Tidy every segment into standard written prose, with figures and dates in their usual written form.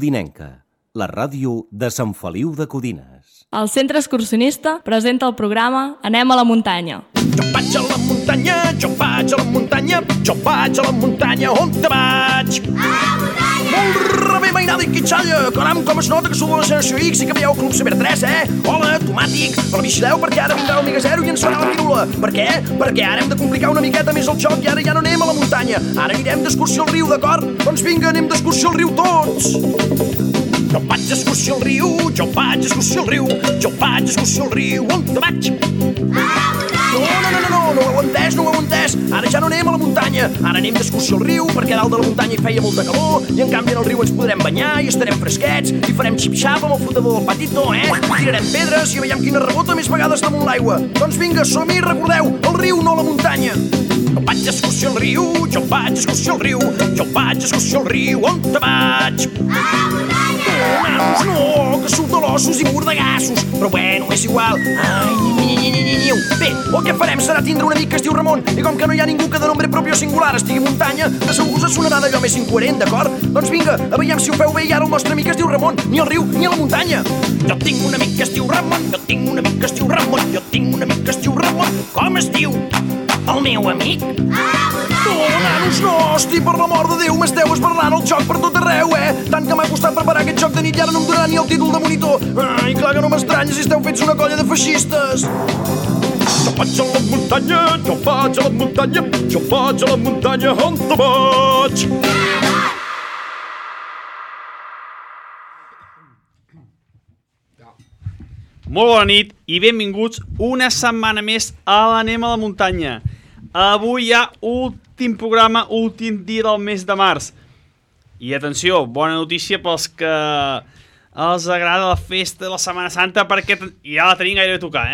Codinenca, la ràdio de Sant Feliu de Codines. El Centre Excursionista presenta el programa Anem a la muntanya. Jo vaig a la muntanya, jo vaig a la muntanya, jo vaig a la muntanya, on te vaig? A la muntanya! Molt rebé, mainada i quitxalla, caram, com es nota que sou de la generació X i que veieu el Club Saber 3, Hola, tomàtic, però vigileu perquè ara vindrà l'Omega 0 i ens farà la pirula. Per què? Perquè ara hem de complicar una miqueta més el joc i ara ja no anem a la muntanya, ara anirem d'excursió al riu, d'acord? Doncs vinga, anem d'excursió al riu tots! Jo vaig d'excursió al riu, jo vaig d'excursió al riu, jo vaig d'excursió al riu, on te vaig? A la muntanya! No ho heu entès, ara ja no anem a la muntanya, ara anem d'excursió al riu perquè a dalt de la muntanya hi feia molta calor i en canvi en el riu ens podrem banyar i estarem fresquets i farem xip-xap amb el flotador del patito, tirarem pedres i veiem quina rebota més vegades damunt l'aigua. Doncs vinga, som-hi, recordeu, el riu, no la muntanya. Jo vaig d'excursió al riu, jo vaig d'excursió al riu, jo vaig d'excursió al riu, on te vaig? A la muntanya! Nanos, no, que sou talossos i mordegassos, però bueno, és igual. Bé, el que farem serà tindre un amic que es diu Ramon i com que no hi ha ningú que de nombre propi o singular estigui a muntanya, de segur us sonarà d'allò més incoherent, d'acord? Doncs vinga, a veiem si ho feu bé i ara el nostre amic es diu Ramon, ni al riu ni a la muntanya. Jo tinc un amic que es diu Ramon, jo tinc un amic que es diu Ramon, jo tinc un amic que es diu Ramon. Com es diu? El meu amic? Nanos, no, hosti, per l'amor de Déu, m'esteu esbarlant el joc per tot arreu, Tant que m'ha costat preparar aquest joc de nit i ara no em donarà ni el títol de monitor. Ai, clar que no m'estranya si esteu fets una colla de feixistes. Jo vaig a la muntanya, jo vaig a la muntanya, jo vaig a la muntanya, on te vaig? Molt bona nit i benvinguts una setmana més a l'Anem a la muntanya. Avui hi ha últim programa, últim dia del mes de març. I atenció, bona notícia pels que els agrada la festa de la Setmana Santa perquè ja la tenim gairebé a tocar,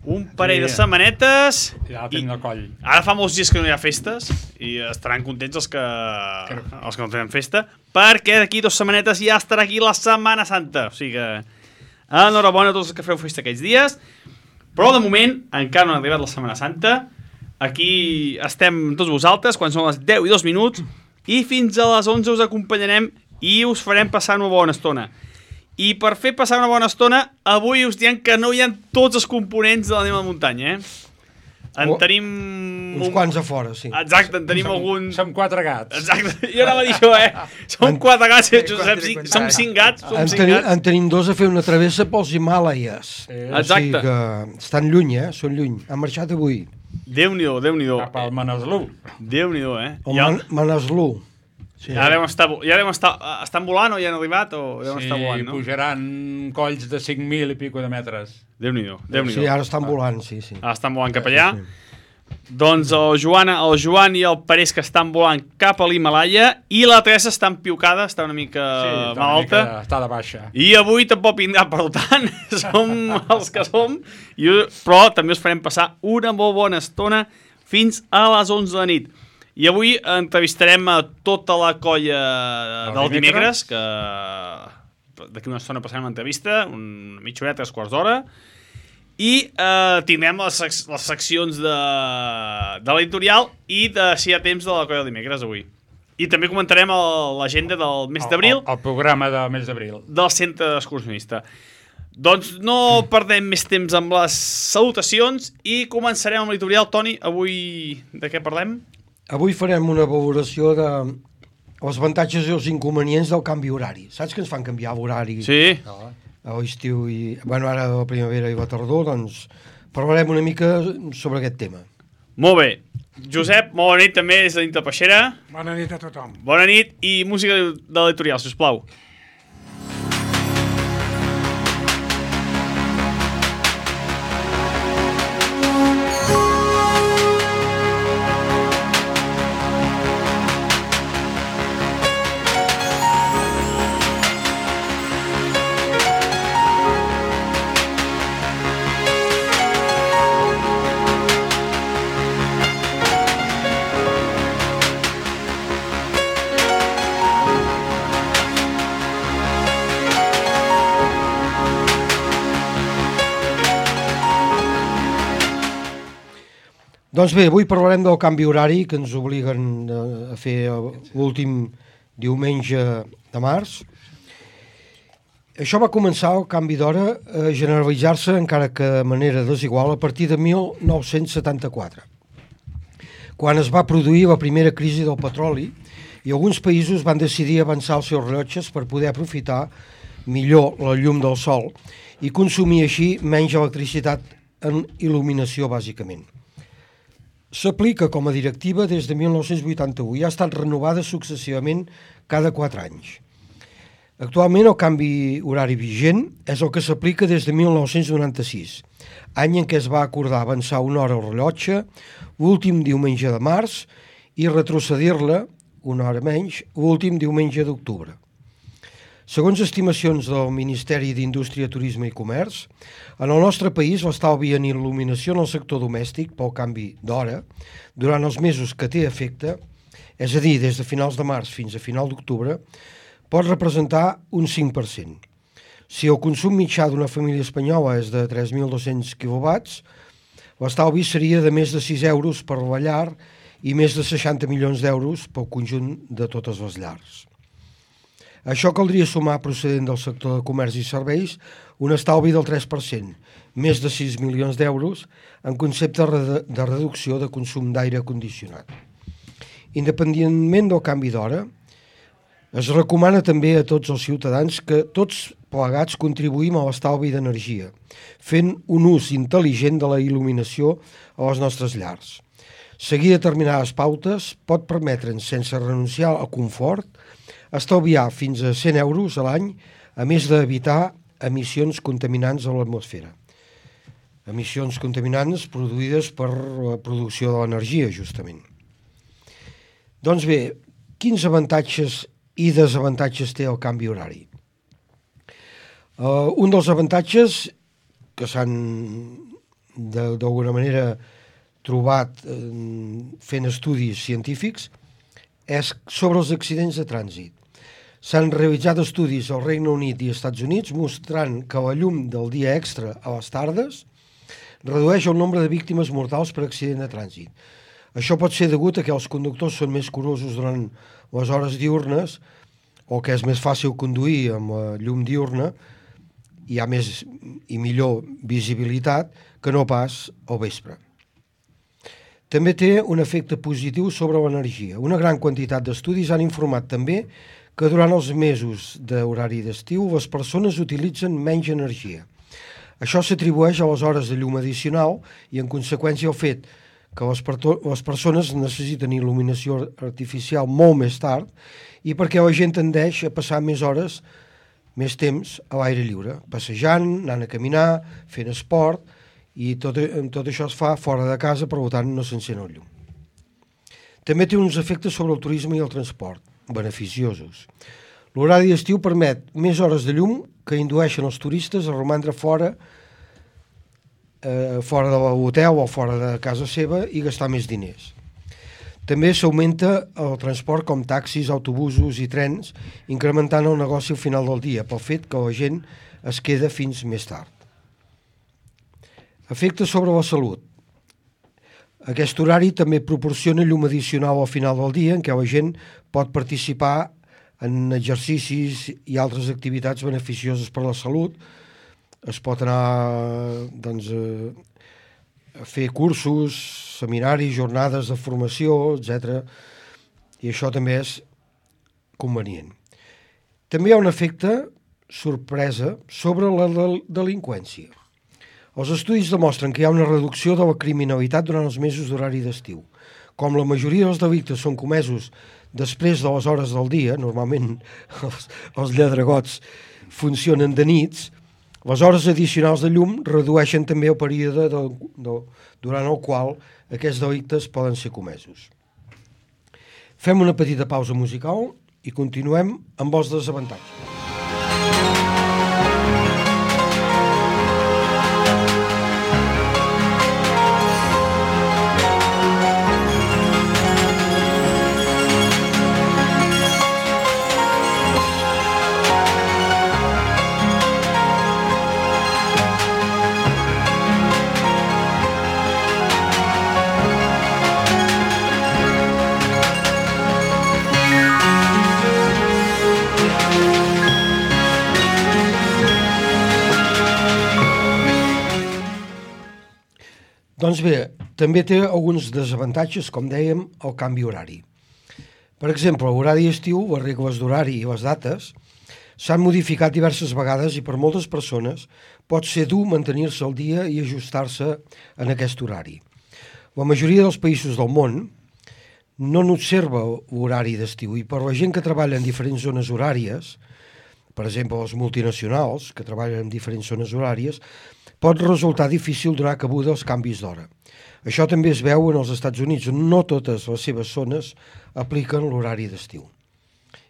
Un parell de setmanetes... Ja la tenim al coll. Ara fa molts dies que no hi ha festes i estaran contents els que no tenen festa perquè d'aquí 2 setmanetes ja estarà aquí la Setmana Santa. O sigui que... enhorabona a tots els que feu festa aquests dies, però de moment encara no ha arribat la Setmana Santa. Aquí estem tots vosaltres quan són les 10 i 2 minuts i fins a les 11 us acompanyarem i us farem passar una bona estona. I per fer passar una bona estona, avui us diem que no hi ha tots els components de l'Anem a la muntanya, En tenim... Uns quants a fora, sí. Exacte, en tenim algun... Som 4 gats. Exacte, jo anava a dir això, Som 4 gats, Josep, som 5 gats, En tenim 2 a fer una travessa pels Himàlaies. Exacte. O sigui que estan lluny, són lluny. Han marxat avui. Déu-n'hi-do, Déu-n'hi-do. Cap al Manaslu. Déu-n'hi-do, El Manaslu. Sí. Ja devem estar volant o ja han arribat o devem estar volant, no? Sí, pujaran colls de 5.000 i pico de metres. Déu-n'hi-do. Sí, ara estan volant, sí. Ara estan volant cap allà. Doncs el Joan i el Parés que estan volant cap a l'Himàlaia i la Teresa està empiucada, està una mica malalta. Està de baixa. I avui tampoc vindrà, per tant, som els que som, però també us farem passar una molt bona estona fins a les 11 de la nit. I avui entrevistarem a tota la colla del dimecres, que d'aquí una estona passarem una entrevista, una mitja hora, 3 quarts d'hora, i tindrem les seccions de l'editorial i de si hi ha temps de la colla del dimecres avui. I també comentarem l'agenda del mes d'abril. El programa del mes d'abril. Del centre excursionista. Doncs no perdem més temps amb les salutacions i començarem amb l'editorial. Toni, avui de què parlem? Avui farem una valoració de els avantatges i els inconvenients del canvi horari. Saps que ens fan canviar l'horari? Sí. A l'estiu i... Bueno, ara a la primavera i la tardor, doncs parlarem una mica sobre aquest tema. Molt bé. Josep, molt bona nit també des de dintre Peixera. Bona nit a tothom. Bona nit i música de l'editorial, sisplau. Doncs bé, avui parlarem del canvi horari que ens obliguen a fer l'últim diumenge de març Això va començar el canvi d'hora a generalitzar-se, encara que de manera desigual, a partir de 1974, quan es va produir la primera crisi del petroli i alguns països van decidir avançar els seus rellotges per poder aprofitar millor la llum del sol i consumir així menys electricitat en il·luminació, bàsicament. S'aplica com a directiva des de 1981 i ha estat renovada successivament cada 4 anys. Actualment el canvi horari vigent és el que s'aplica des de 1996, any en què es va acordar avançar una hora al rellotge l'últim diumenge de març i retrocedir-la una hora menys l'últim diumenge d'octubre. Segons estimacions del Ministeri d'Indústria, Turisme i Comerç, en el nostre país l'estalvi en il·luminació en el sector domèstic pel canvi d'hora durant els mesos que té efecte, és a dir, des de finals de març fins a final d'octubre, pot representar un 5%. Si el consum mitjà d'una família espanyola és de 3.200 quilowatts, l'estalvi seria de més de 6 euros per la llar i més de 60 milions d'euros pel conjunt de totes les llars. Això caldria sumar, procedent del sector de comerç i serveis, un estalvi del 3%, més de 6 milions d'euros, en concepte de reducció de consum d'aire condicionat. Independentment del canvi d'hora, es recomana també a tots els ciutadans que tots plegats contribuïm a l'estalvi d'energia, fent un ús intel·ligent de la il·luminació a les nostres llars. Seguir determinades pautes pot permetre'ns, sense renunciar al confort, estalviar fins a 100 euros a l'any, a més d'evitar emissions contaminants a l'atmosfera. Emissions contaminants produïdes per la producció de l'energia, justament. Doncs bé, quins avantatges i desavantatges té el canvi horari? Un dels avantatges que s'han d'alguna manera trobat fent estudis científics és sobre els accidents de trànsit. S'han realitzat estudis al Regne Unit i Estats Units mostrant que la llum del dia extra a les tardes redueix el nombre de víctimes mortals per accident de trànsit. Això pot ser degut a que els conductors són més curosos durant les hores diürnes o que és més fàcil conduir amb la llum diurna, hi ha més i millor visibilitat que no pas al vespre. També té un efecte positiu sobre l'energia. Una gran quantitat d'estudis han informat també que durant els mesos d'horari d'estiu les persones utilitzen menys energia. Això s'atribueix a les hores de llum addicional i, en conseqüència, el fet que les persones necessiten il·luminació artificial molt més tard i perquè la gent tendeix a passar més hores, més temps a l'aire lliure, passejant, anant a caminar, fent esport, i tot això es fa fora de casa, per tant no s'encén el llum. També té uns efectes sobre el turisme i el transport, beneficiosos. L'horari d'estiu permet més hores de llum que indueixen els turistes a romandre fora de l'hotel o fora de casa seva i gastar més diners. També s'augmenta el transport com taxis, autobusos i trens, incrementant el negoci al final del dia, pel fet que la gent es queda fins més tard. Efectes sobre la salut. Aquest horari també proporciona llum addicional al final del dia en què la gent pot participar en exercicis i altres activitats beneficioses per a la salut. Es pot anar a fer cursos, seminaris, jornades de formació, etc. I això també és convenient. També hi ha un efecte sorpresa sobre la delinqüència. Els estudis demostren que hi ha una reducció de la criminalitat durant els mesos d'horari d'estiu. Com la majoria dels delictes són comesos després de les hores del dia, normalment els lladregots funcionen de nits, les hores addicionals de llum redueixen també el període durant el qual aquests delictes poden ser comesos. Fem una petita pausa musical i continuem amb els desavantatges. Doncs bé, també té alguns desavantatges, com dèiem, el canvi horari. Per exemple, l'horari estiu, les regles d'horari i les dates s'han modificat diverses vegades i per moltes persones pot ser dur mantenir-se al dia i ajustar-se en aquest horari. La majoria dels països del món no n'observa l'horari d'estiu i per la gent que treballa en diferents zones horàries, per exemple els multinacionals que treballen en diferents zones horàries, pot resultar difícil donar cabuda als canvis d'hora. Això també es veu en els Estats Units, on no totes les seves zones apliquen l'horari d'estiu.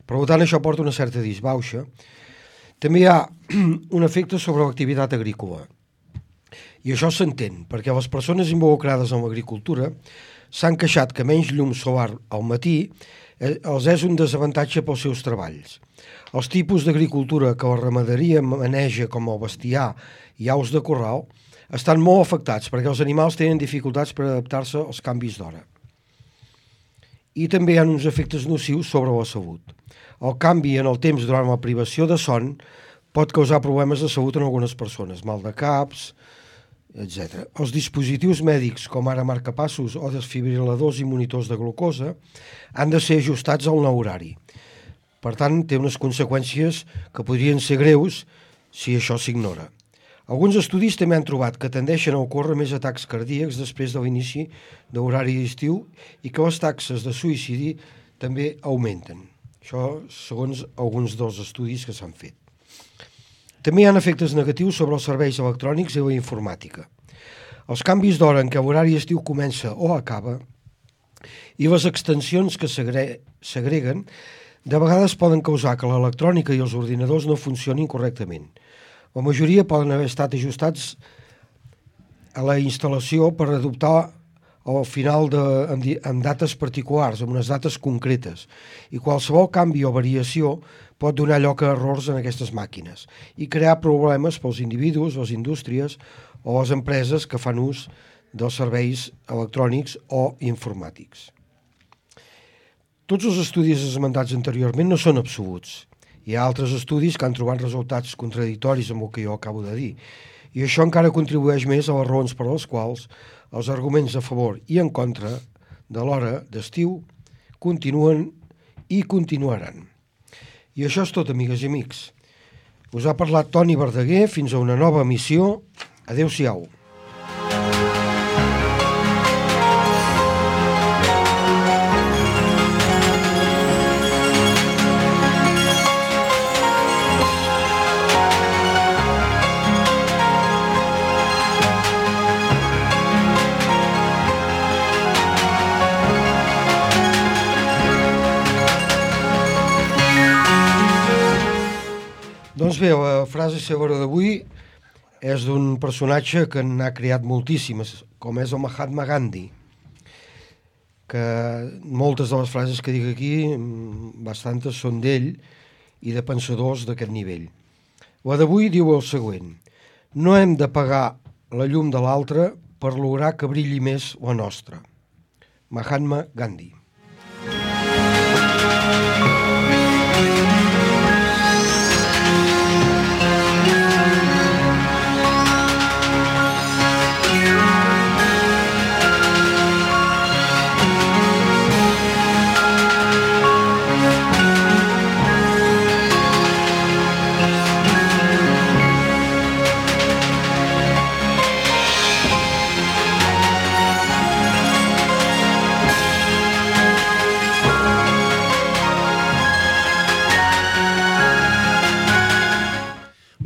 Per tant, això porta una certa disbauxa. També hi ha un efecte sobre l'activitat agrícola. I això s'entén, perquè les persones involucrades en l'agricultura s'han queixat que menys llum solar al matí els és un desavantatge pels seus treballs. Els tipus d'agricultura que la ramaderia maneja, com el bestiar i aus de corral, estan molt afectats perquè els animals tenen dificultats per adaptar-se als canvis d'hora. I també hi ha uns efectes nocius sobre la salut. El canvi en el temps durant la privació de son pot causar problemes de salut en algunes persones, mal de caps, etc. Els dispositius mèdics, com ara marcapassos o desfibriladors i monitors de glucosa, han de ser ajustats al nou horari. Per tant, té unes conseqüències que podrien ser greus si això s'ignora. Alguns estudis també han trobat que tendeixen a ocórrer més atacs cardíacs després de l'inici de l'horari d'estiu i que les taxes de suïcidi també augmenten. Això segons alguns dels estudis que s'han fet. També hi ha efectes negatius sobre els serveis electrònics i la informàtica. Els canvis d'hora en què l'horari estiu comença o acaba i les extensions que s'agreguen de vegades poden causar que l'electrònica i els ordinadors no funcionin correctament. La majoria poden haver estat ajustats a la instal·lació per adoptar al final en dates particulars, en unes dates concretes, i qualsevol canvi o variació pot donar lloc a errors en aquestes màquines i crear problemes pels individus, les indústries o les empreses que fan ús dels serveis electrònics o informàtics. Tots els estudis esmentats anteriorment no són absoluts. Hi ha altres estudis que han trobat resultats contradictoris amb el que jo acabo de dir, i això encara contribueix més a les raons per les quals els arguments a favor i en contra de l'hora d'estiu continuen i continuaran. I això és tot, amigues i amics. Us ha parlat Toni Verdaguer. Fins a una nova emissió. Adéu-siau. Doncs bé, la frase cèlebre d'avui és d'un personatge que n'ha creat moltíssimes, com és el Mahatma Gandhi, que moltes de les frases que dic aquí, bastantes són d'ell i de pensadors d'aquest nivell. La d'avui diu el següent: no hem de pagar la llum de l'altre per lograr que brilli més la nostra. Mahatma Gandhi.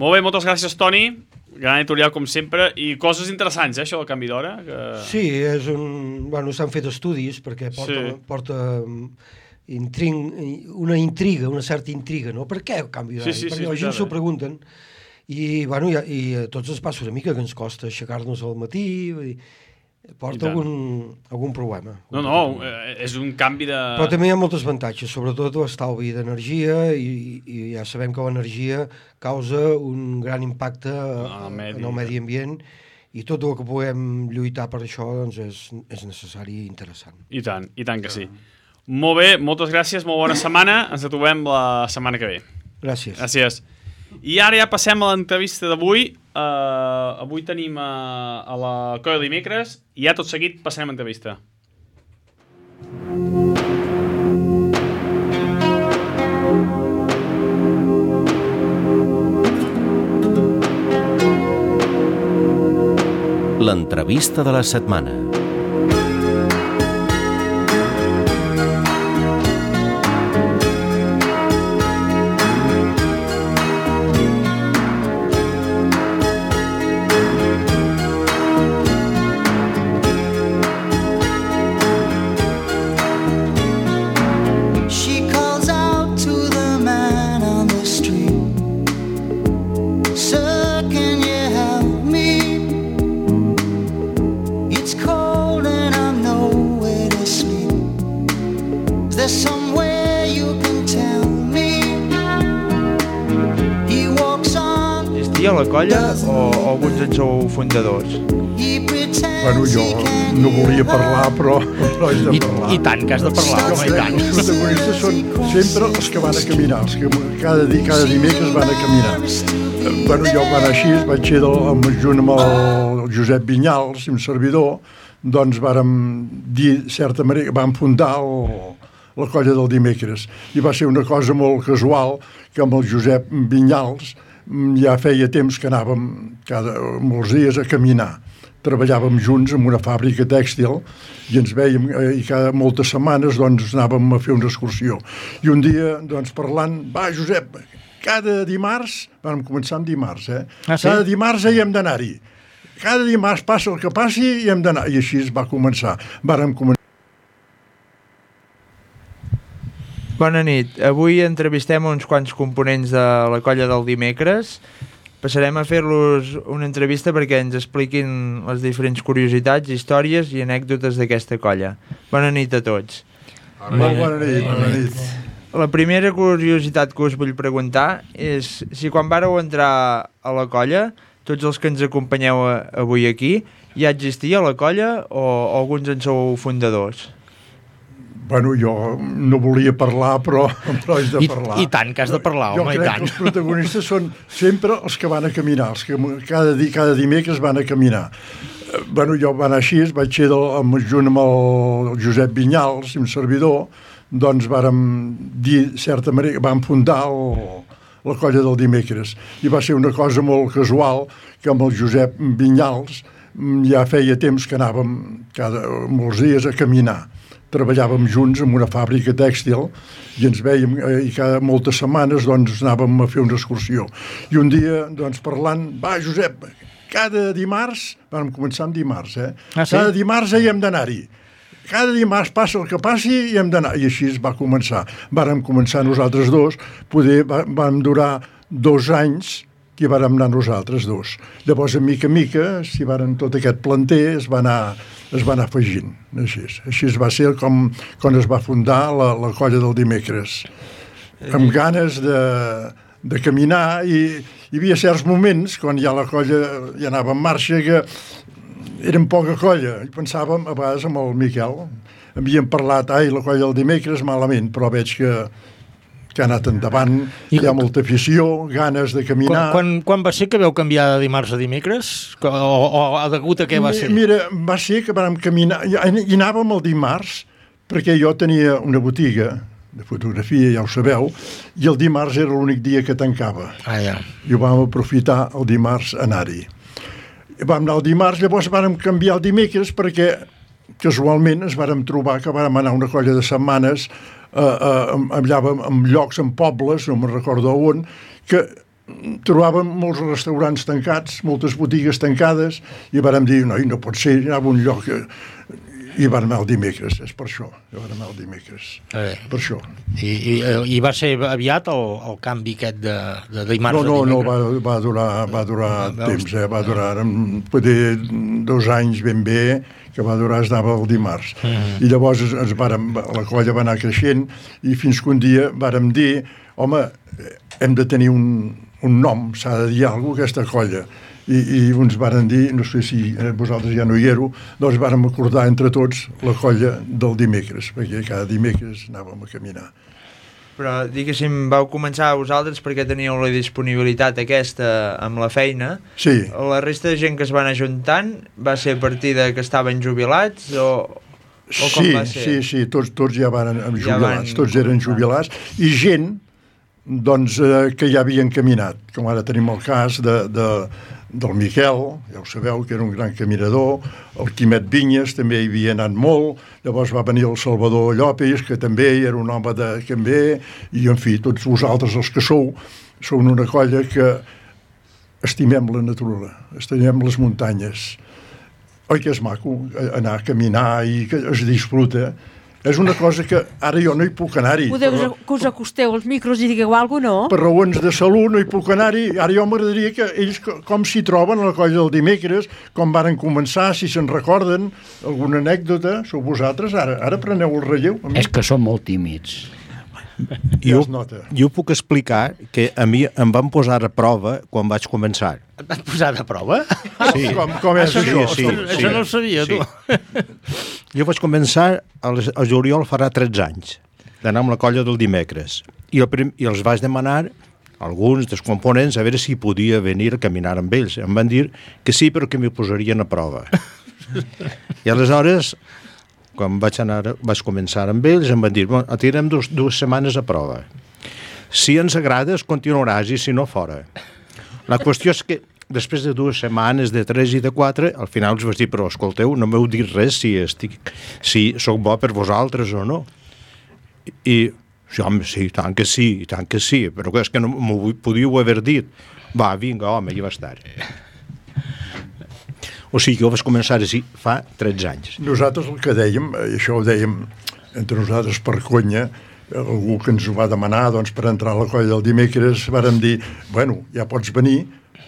Molt bé, moltes gràcies, Toni. Gran editorial, com sempre. I coses interessants, això del canvi d'hora. Que... Sí, és un... Bueno, s'han fet estudis perquè porta una intriga, una certa intriga, no? Per què el canvi d'hora? Perquè la gent s'ho pregunten i, bueno, i a tots ens passa una mica que ens costa aixecar-nos al matí, porta algun problema. No, és un canvi de... Però també hi ha molts avantatges, sobretot l'estalvi d'energia i ja sabem que l'energia causa un gran impacte en el medi ambient i tot el que puguem lluitar per això doncs és necessari i interessant. I tant que sí. Molt bé, moltes gràcies, molt bona setmana. Ens trobem la setmana que ve. Gràcies. Gràcies. I ara ja passem a l'entrevista d'avui. Avui tenim a la Colla Dimecres i ja tot seguit passem a l'entrevista. L'entrevista de la setmana. A la colla o alguns en sou fundadors? Bueno, jo no volia parlar, però és de parlar. I tant, que has de parlar, home, i tant. Els protagonistes són sempre els que van a caminar, els que cada dimecres van a caminar. Bueno, jo quan així vaig ser junt amb el Josep Vinyals, un servidor, doncs vàrem dir, certa manera, vam fundar la colla del dimecres. I va ser una cosa molt casual que amb el Josep Vinyals ja feia temps que anàvem molts dies a caminar. Treballàvem junts en una fàbrica tèxtil i ens vèiem i cada moltes setmanes doncs anàvem a fer una excursió. I un dia doncs parlant, va Josep, cada dimarts, vam començar amb dimarts, cada dimarts hi hem d'anar-hi. Cada dimarts passa el que passi i hem d'anar. I així es va començar. Vàrem començar. Bona nit. Avui entrevistem uns quants components de la colla del dimecres. Passarem a fer-los una entrevista perquè ens expliquin les diferents curiositats, històries i anècdotes d'aquesta colla. Bona nit a tots. Molt bona nit. La primera curiositat que us vull preguntar és si quan vàreu entrar a la colla, tots els que ens acompanyeu avui aquí, ja existia la colla o alguns en sou fundadors? Bueno, jo no volia parlar, però és de parlar. I tant, que has de parlar, home, i tant. Jo crec que els protagonistes són sempre els que van a caminar, els que cada dimecres van a caminar. Bueno, jo van així, vaig ser junt amb el Josep Vinyals, un servidor, doncs vàrem dir, certa manera, vam fundar la colla del dimecres. I va ser una cosa molt casual que amb el Josep Vinyals ja feia temps que anàvem molts dies a caminar. Treballàvem junts en una fàbrica tèxtil i ens vèiem i cada moltes setmanes doncs anàvem a fer una excursió. I un dia doncs parlant, va Josep, cada dimarts, vam començar amb dimarts, cada dimarts hi hem d'anar-hi. Cada dimarts passa el que passi i hem d'anar. I així es va començar. Vàrem començar nosaltres dos, vam durar 2 anys que hi vàrem anar nosaltres dos. Llavors, a mica, si varen tot aquest planter, es va anar afegint. Així va ser quan es va fundar la colla del dimecres. Amb ganes de caminar i hi havia certs moments, quan ja la colla ja anava en marxa, que érem poca colla. I pensàvem, a vegades, amb el Miquel, havíem parlat, la colla del dimecres malament, però veig que ha anat endavant, hi ha molta afició, ganes de caminar. Quan va ser que vau canviar de dimarts a dimecres? O degut a què va ser? Mira, va ser que vam caminar, i anàvem el dimarts, perquè jo tenia una botiga de fotografia, ja ho sabeu, i el dimarts era l'únic dia que tancava. I ho vam aprofitar el dimarts a anar-hi. Vam anar el dimarts, llavors vam canviar el dimecres perquè casualment ens vàrem trobar que vàrem anar una colla de setmanes allà en llocs, en pobles, no me'n recordo on, que trobàvem molts restaurants tancats, moltes botigues tancades, i vàrem dir, no pot ser, anava a un lloc i van anar el dimecres, és per això, van anar el dimecres, per això. I va ser aviat el canvi aquest de dimarts a dimecres? No, va durar temps, va durar poder 2 anys ben bé, que va durar, es anava el dimarts. I llavors la colla va anar creixent i fins que un dia vàrem dir, home, hem de tenir un nom, s'ha de dir alguna cosa aquesta colla. I uns varen dir, no sé si vosaltres ja no hi éreu, doncs vàrem acordar entre tots la colla del dimecres, perquè cada dimecres anàvem a caminar. Però, diguéssim, vau començar vosaltres perquè teníeu la disponibilitat aquesta amb la feina. Sí. La resta de gent que es van ajuntant va ser a partir de que estaven jubilats o com va ser? Sí, tots ja van jubilats, tots eren jubilats, i gent doncs, que ja havien caminat, com ara tenim el cas del Miquel, ja ho sabeu, que era un gran caminador, el Quimet Vinyes també hi havia anat molt, llavors va venir el Salvador Llopis, que també era un home de Canvé, i en fi, tots vosaltres els que sou una colla que estimem la natura, estimem les muntanyes. Oi que és maco anar a caminar i que es disfruta? És una cosa que ara jo no hi puc anar-hi. Podeu que us acosteu als micros i digueu alguna cosa, no? Per raons de salut no hi puc anar-hi. Ara jo m'agradaria que ells com s'hi troben a la colla del dimecres, com varen començar, si se'n recorden, alguna anècdota, sou vosaltres, ara preneu el relleu. És que som molt tímids. Ja es nota. Jo puc explicar que a mi em van posar a prova quan vaig començar. Et van posar a prova? Sí. Com és això? Sí. Això no ho sabia, tu. Jo vaig començar al juliol farà 13 anys d'anar amb la colla del dimecres i els vaig demanar alguns dels components a veure si podia venir a caminar amb ells. Em van dir que sí, però que m'hi posarien a prova. I aleshores, quan vaig començar amb ells, em van dir, bueno, et tirem dues setmanes a prova. Si ens agrades, continuaràs, i si no, fora. La qüestió és que després de 2 setmanes, de 3 i de 4, al final els vaig dir, però escolteu, no m'heu dit res si sóc bo per vosaltres o no. I sí, home, sí, tant que sí, però és que no m'ho podíeu haver dit. Va, vinga, home, ja va estar. O sigui, jo vaig començar així fa 13 anys. Nosaltres el que dèiem, això ho dèiem entre nosaltres per conya, algú que ens ho va demanar doncs, per entrar a la colla del dimecres, vàrem dir, bueno, ja pots venir,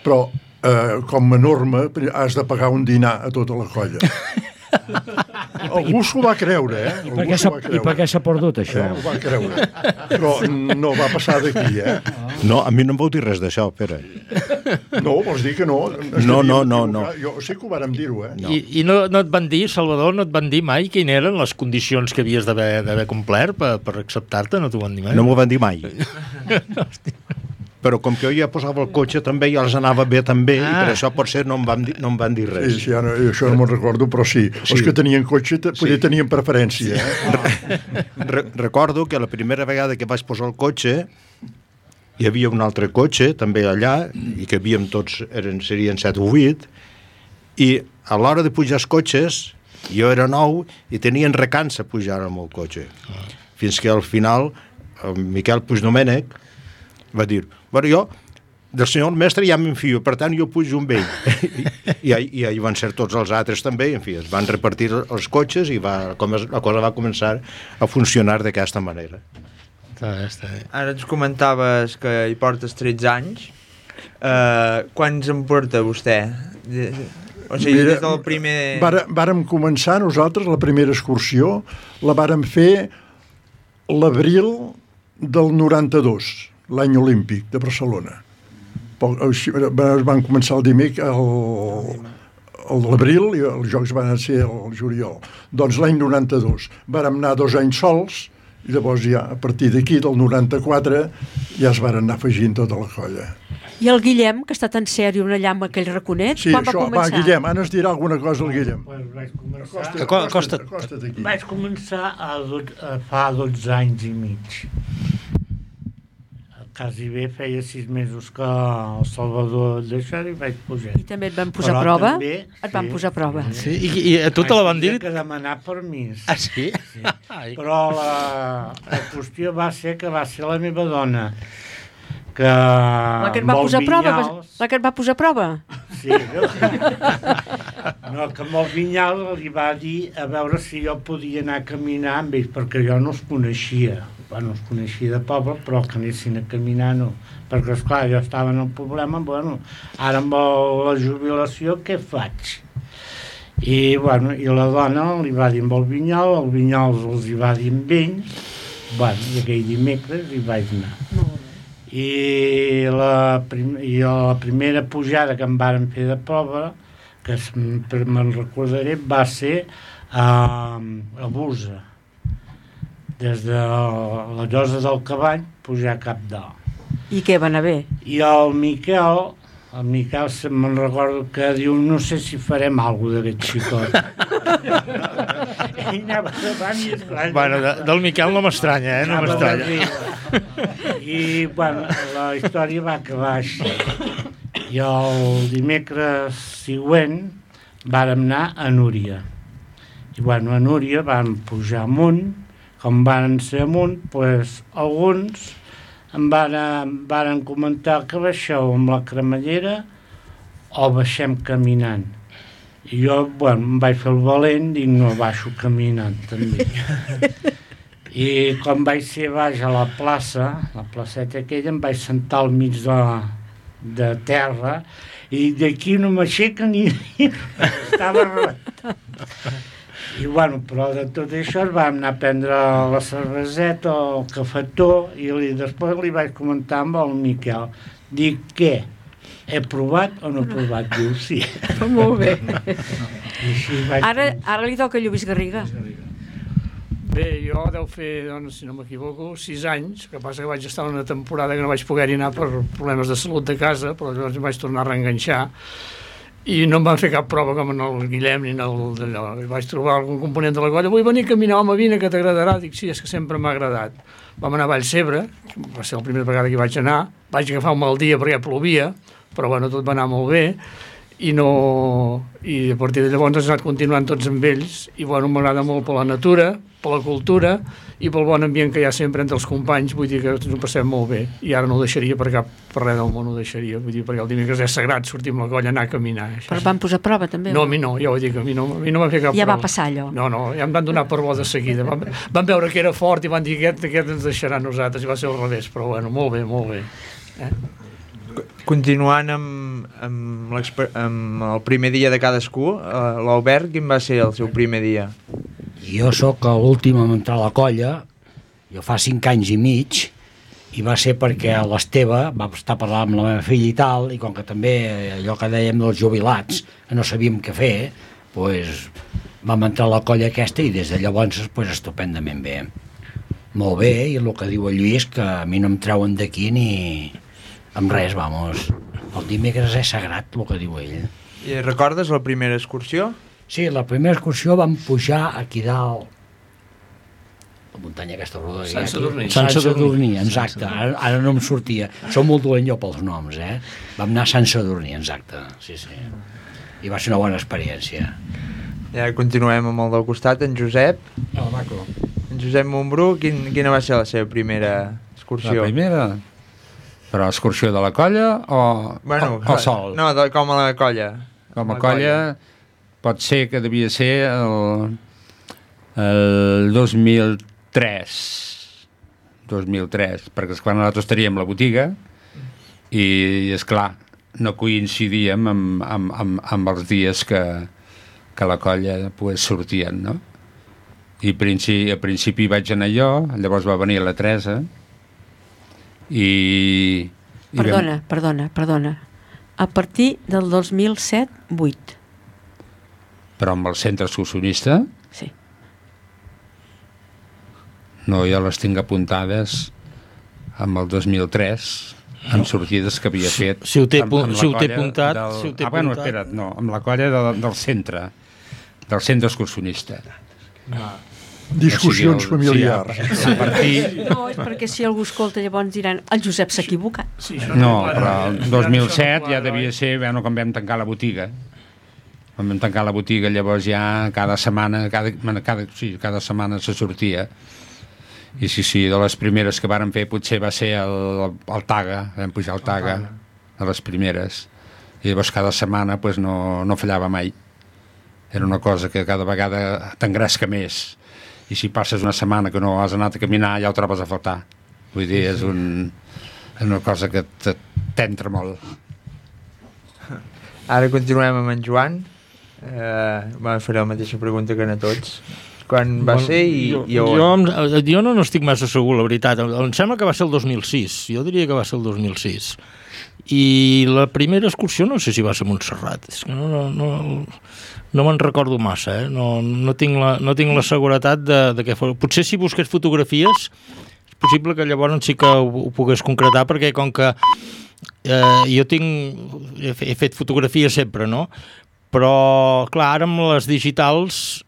però com a norma has de pagar un dinar a tota la colla. Algú s'ho va creure, I per què s'ha perdut, això? Ho va creure. Però no va passar d'aquí, No, a mi no em vau dir res d'això, Pere. No, vols dir que no? No. Jo sé que ho vàrem dir-ho, I no et van dir, Salvador, no et van dir mai quines eren les condicions que havies d'haver complert per acceptar-te? No t'ho van dir mai? No m'ho van dir mai. Però com que jo ja posava el cotxe també, ja els anava bé també, i per això potser no em van dir res. Sí, això no me'n recordo, però sí. Els que tenien cotxe potser tenien preferència. Recordo que la primera vegada que vaig posar el cotxe hi havia un altre cotxe també allà, i que havíem tots, serien 7 o 8, i a l'hora de pujar els cotxes jo era nou i tenien recança pujar amb el cotxe. Fins que al final el Miquel Puigdomènec va dir, bueno, jo del senyor mestre ja m'enfio, per tant jo pujo amb ell. I ahí van ser tots els altres també, i en fi, es van repartir els cotxes i la cosa va començar a funcionar d'aquesta manera. Està bé. Ara ens comentaves que hi portes 13 anys. Quants en porta vostè? O sigui, Mira, des del primer... Vàrem començar nosaltres, la primera excursió, la vàrem fer l'abril del 92, l'any olímpic de Barcelona. Van començar el dimecres, l'abril, i els jocs van ser el juliol. Doncs l'any 92 vàrem anar 2 anys sols, i llavors ja a partir d'aquí, del 94, ja es varen anar afegint tota la colla. I el Guillem, que està tan sèrio allà amb aquell raconet, sí, quan va començar? Va, Guillem, ara ens dirà alguna cosa el Guillem. Vaig començar fa 12 anys i mig. Quasi bé feia 6 mesos que el Salvador deixar i vaig pujar. I també et van posar a prova? Et van posar a prova. Sí, i a tu te la van dir? Vaig haver que demanar permís. Ah, sí? Sí. Però la qüestió va ser que va ser la meva dona, que la que et va posar a prova? La que et va posar a prova? Sí. No, que amb el Vinyals li va dir a veure si jo podia anar a caminar amb ells, perquè jo no els coneixia. Bueno, els coneixia de poble, però que anessin a caminar no. Perquè, esclar, jo estava en el problema, bueno, ara amb la jubilació, què faig? I, bueno, i la dona li va dir amb el Vinyals els hi va dir amb ells, bueno, i aquell dimecres hi vaig anar. I la primera pujada que em varen fer de prova, que me'n recordaré, va ser a Busa. des de la Llosa del Cavall, pujar cap dalt. I què va anar bé? I el Miquel me'n recordo que diu, no sé si farem alguna cosa d'aquest xicot. Ell anava davant i esclar... Bueno, del Miquel no m'estranya, no m'estranya. I, bueno, la història va acabar així. I el dimecres següent vàrem anar a Núria. I, bueno, a Núria vam pujar amunt. Com van ser amunt, doncs, alguns em varen comentar que baixeu amb la cremallera o baixem caminant. I jo, bueno, em vaig fer el valent, dic, no, baixo caminant, també. I quan vaig ser baix a la plaça, la placeta aquella, em vaig sentar al mig de terra i d'aquí no m'aixeca ni... Estava rebentat. I, bueno, però de tot això vam anar a prendre la cerveseta o el cafetó i després li vaig comentar amb el Miquel. Dic, què? He provat o no he provat? Diu, sí. Molt bé. Vaig... Ara li toca a Lluís Garriga. Bé, jo deu fer, doncs, si no m'equivoco, 6 anys, que passa que vaig estar una temporada que no vaig poder-hi anar per problemes de salut de casa, però llavors em vaig tornar a reenganxar i no em van fer cap prova com en el Guillem ni en el d'allò. Vaig trobar algun component de la colla, vull venir a caminar, home, vine, que t'agradarà. Dic, sí, és que sempre m'ha agradat. Vam anar a Vallcebre, va ser la primera vegada que hi vaig anar, vaig agafar un mal dia perquè plovia, però bueno, tot va anar molt bé, i a partir de llavors he anat continuant tots amb ells, i bueno, m'agrada molt per la natura, per la cultura i pel bon ambient que hi ha sempre entre els companys, vull dir que ens ho passem molt bé, i ara no ho deixaria per res del món, ho deixaria, vull dir, perquè el dimecres és sagrat sortir amb la colla, anar a caminar. Però van posar a prova també? No, a mi no, ja ho dic, a mi no va fer cap prova. Ja va passar allò? No, ja em van donar per bo de seguida, van veure que era fort i van dir aquest ens deixarà a nosaltres, i va ser al revés, però bueno, molt bé. Continuant amb el primer dia de cadascú, l'Albert, quin va ser el seu primer dia? Jo sóc l'últim a entrar a la colla, jo fa 5 anys i mig, i va ser perquè l'Esteve va estar parlant amb la meva filla i tal, i com que també allò que dèiem dels jubilats, no sabíem què fer, doncs vam entrar a la colla aquesta i des de llavors estupendament bé. Molt bé, i el que diu el Lluís, que a mi no em treuen d'aquí ni amb res, vamos. El dimecres és sagrat, el que diu ell. I recordes la primera excursió? Sí, la primera excursió vam pujar aquí dalt, la muntanya aquesta roda. Sant Sadurní, exacte. Ara no em sortia. Som molt dolent jo pels noms, Vam anar a Sant Sadurní, exacte. Sí. I va ser una bona experiència. Ja continuem amb el del costat, en Josep. En Josep Montbrú, quina va ser la seva primera excursió? La primera? Però excursió de la colla o sol? No, com a la colla. Com a colla pot ser que devia ser el 2003, perquè quan nosaltres teníem la botiga i, esclar, no coincidíem amb els dies que la colla sortien, no? I a principi vaig anar jo, llavors va venir la Teresa i... Perdona. A partir del 2007-8. Però amb el centre excursionista? Sí. No, jo les tinc apuntades amb el 2003, amb sortides que havia fet... Si ho té apuntat... Bueno, espera't, no, amb la colla del centre excursionista. Discussions familiars. No, és perquè si algú escolta llavors diran el Josep s'ha equivocat. No, però el 2007 ja devia ser, bueno, quan vam tancar la botiga. Quan vam tancar la botiga, llavors ja cada setmana se sortia. I sí, de les primeres que vàrem fer potser va ser el Taga, vam pujar al Taga, de les primeres. I llavors cada setmana no fallava mai. Era una cosa que cada vegada t'engresca més. I si passes una setmana que no has anat a caminar ja ho trobes a faltar. Vull dir, és una cosa que t'entra molt. Ara continuem amb en Joan. Faré la mateixa pregunta que a tots. Quan va ser i on? Jo no estic massa segur, la veritat. Em sembla que va ser el 2006. Jo diria que va ser el 2006. I la primera excursió no sé si va ser a Montserrat, és que no me'n recordo massa, no tinc la seguretat de què fos. Potser si busqués fotografies és possible que llavors sí que ho pogués concretar, perquè com que jo he fet fotografies sempre, no? Però, clar, ara amb les digitals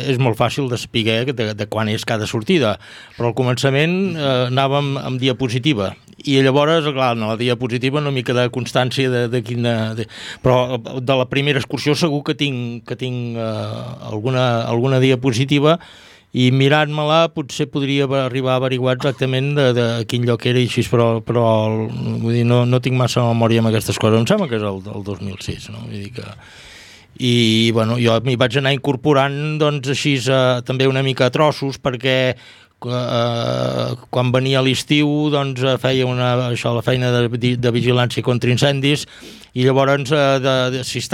és molt fàcil de saber de quan és cada sortida. Però al començament anàvem amb diapositiva. I llavors, clar, en la diapositiva no m'hi queda constància de quina... Però de la primera excursió segur que tinc alguna diapositiva, i mirant-me-la potser podria arribar a averiguar exactament de quin lloc era i així, però vull dir, no tinc massa memòria amb aquestes coses. Em sembla que és el 2006, no? Vull dir que... I bueno, jo m'hi vaig anar incorporant doncs així també una mica a trossos, perquè quan venia l'estiu doncs feia la feina de vigilància contra incendis, i llavors si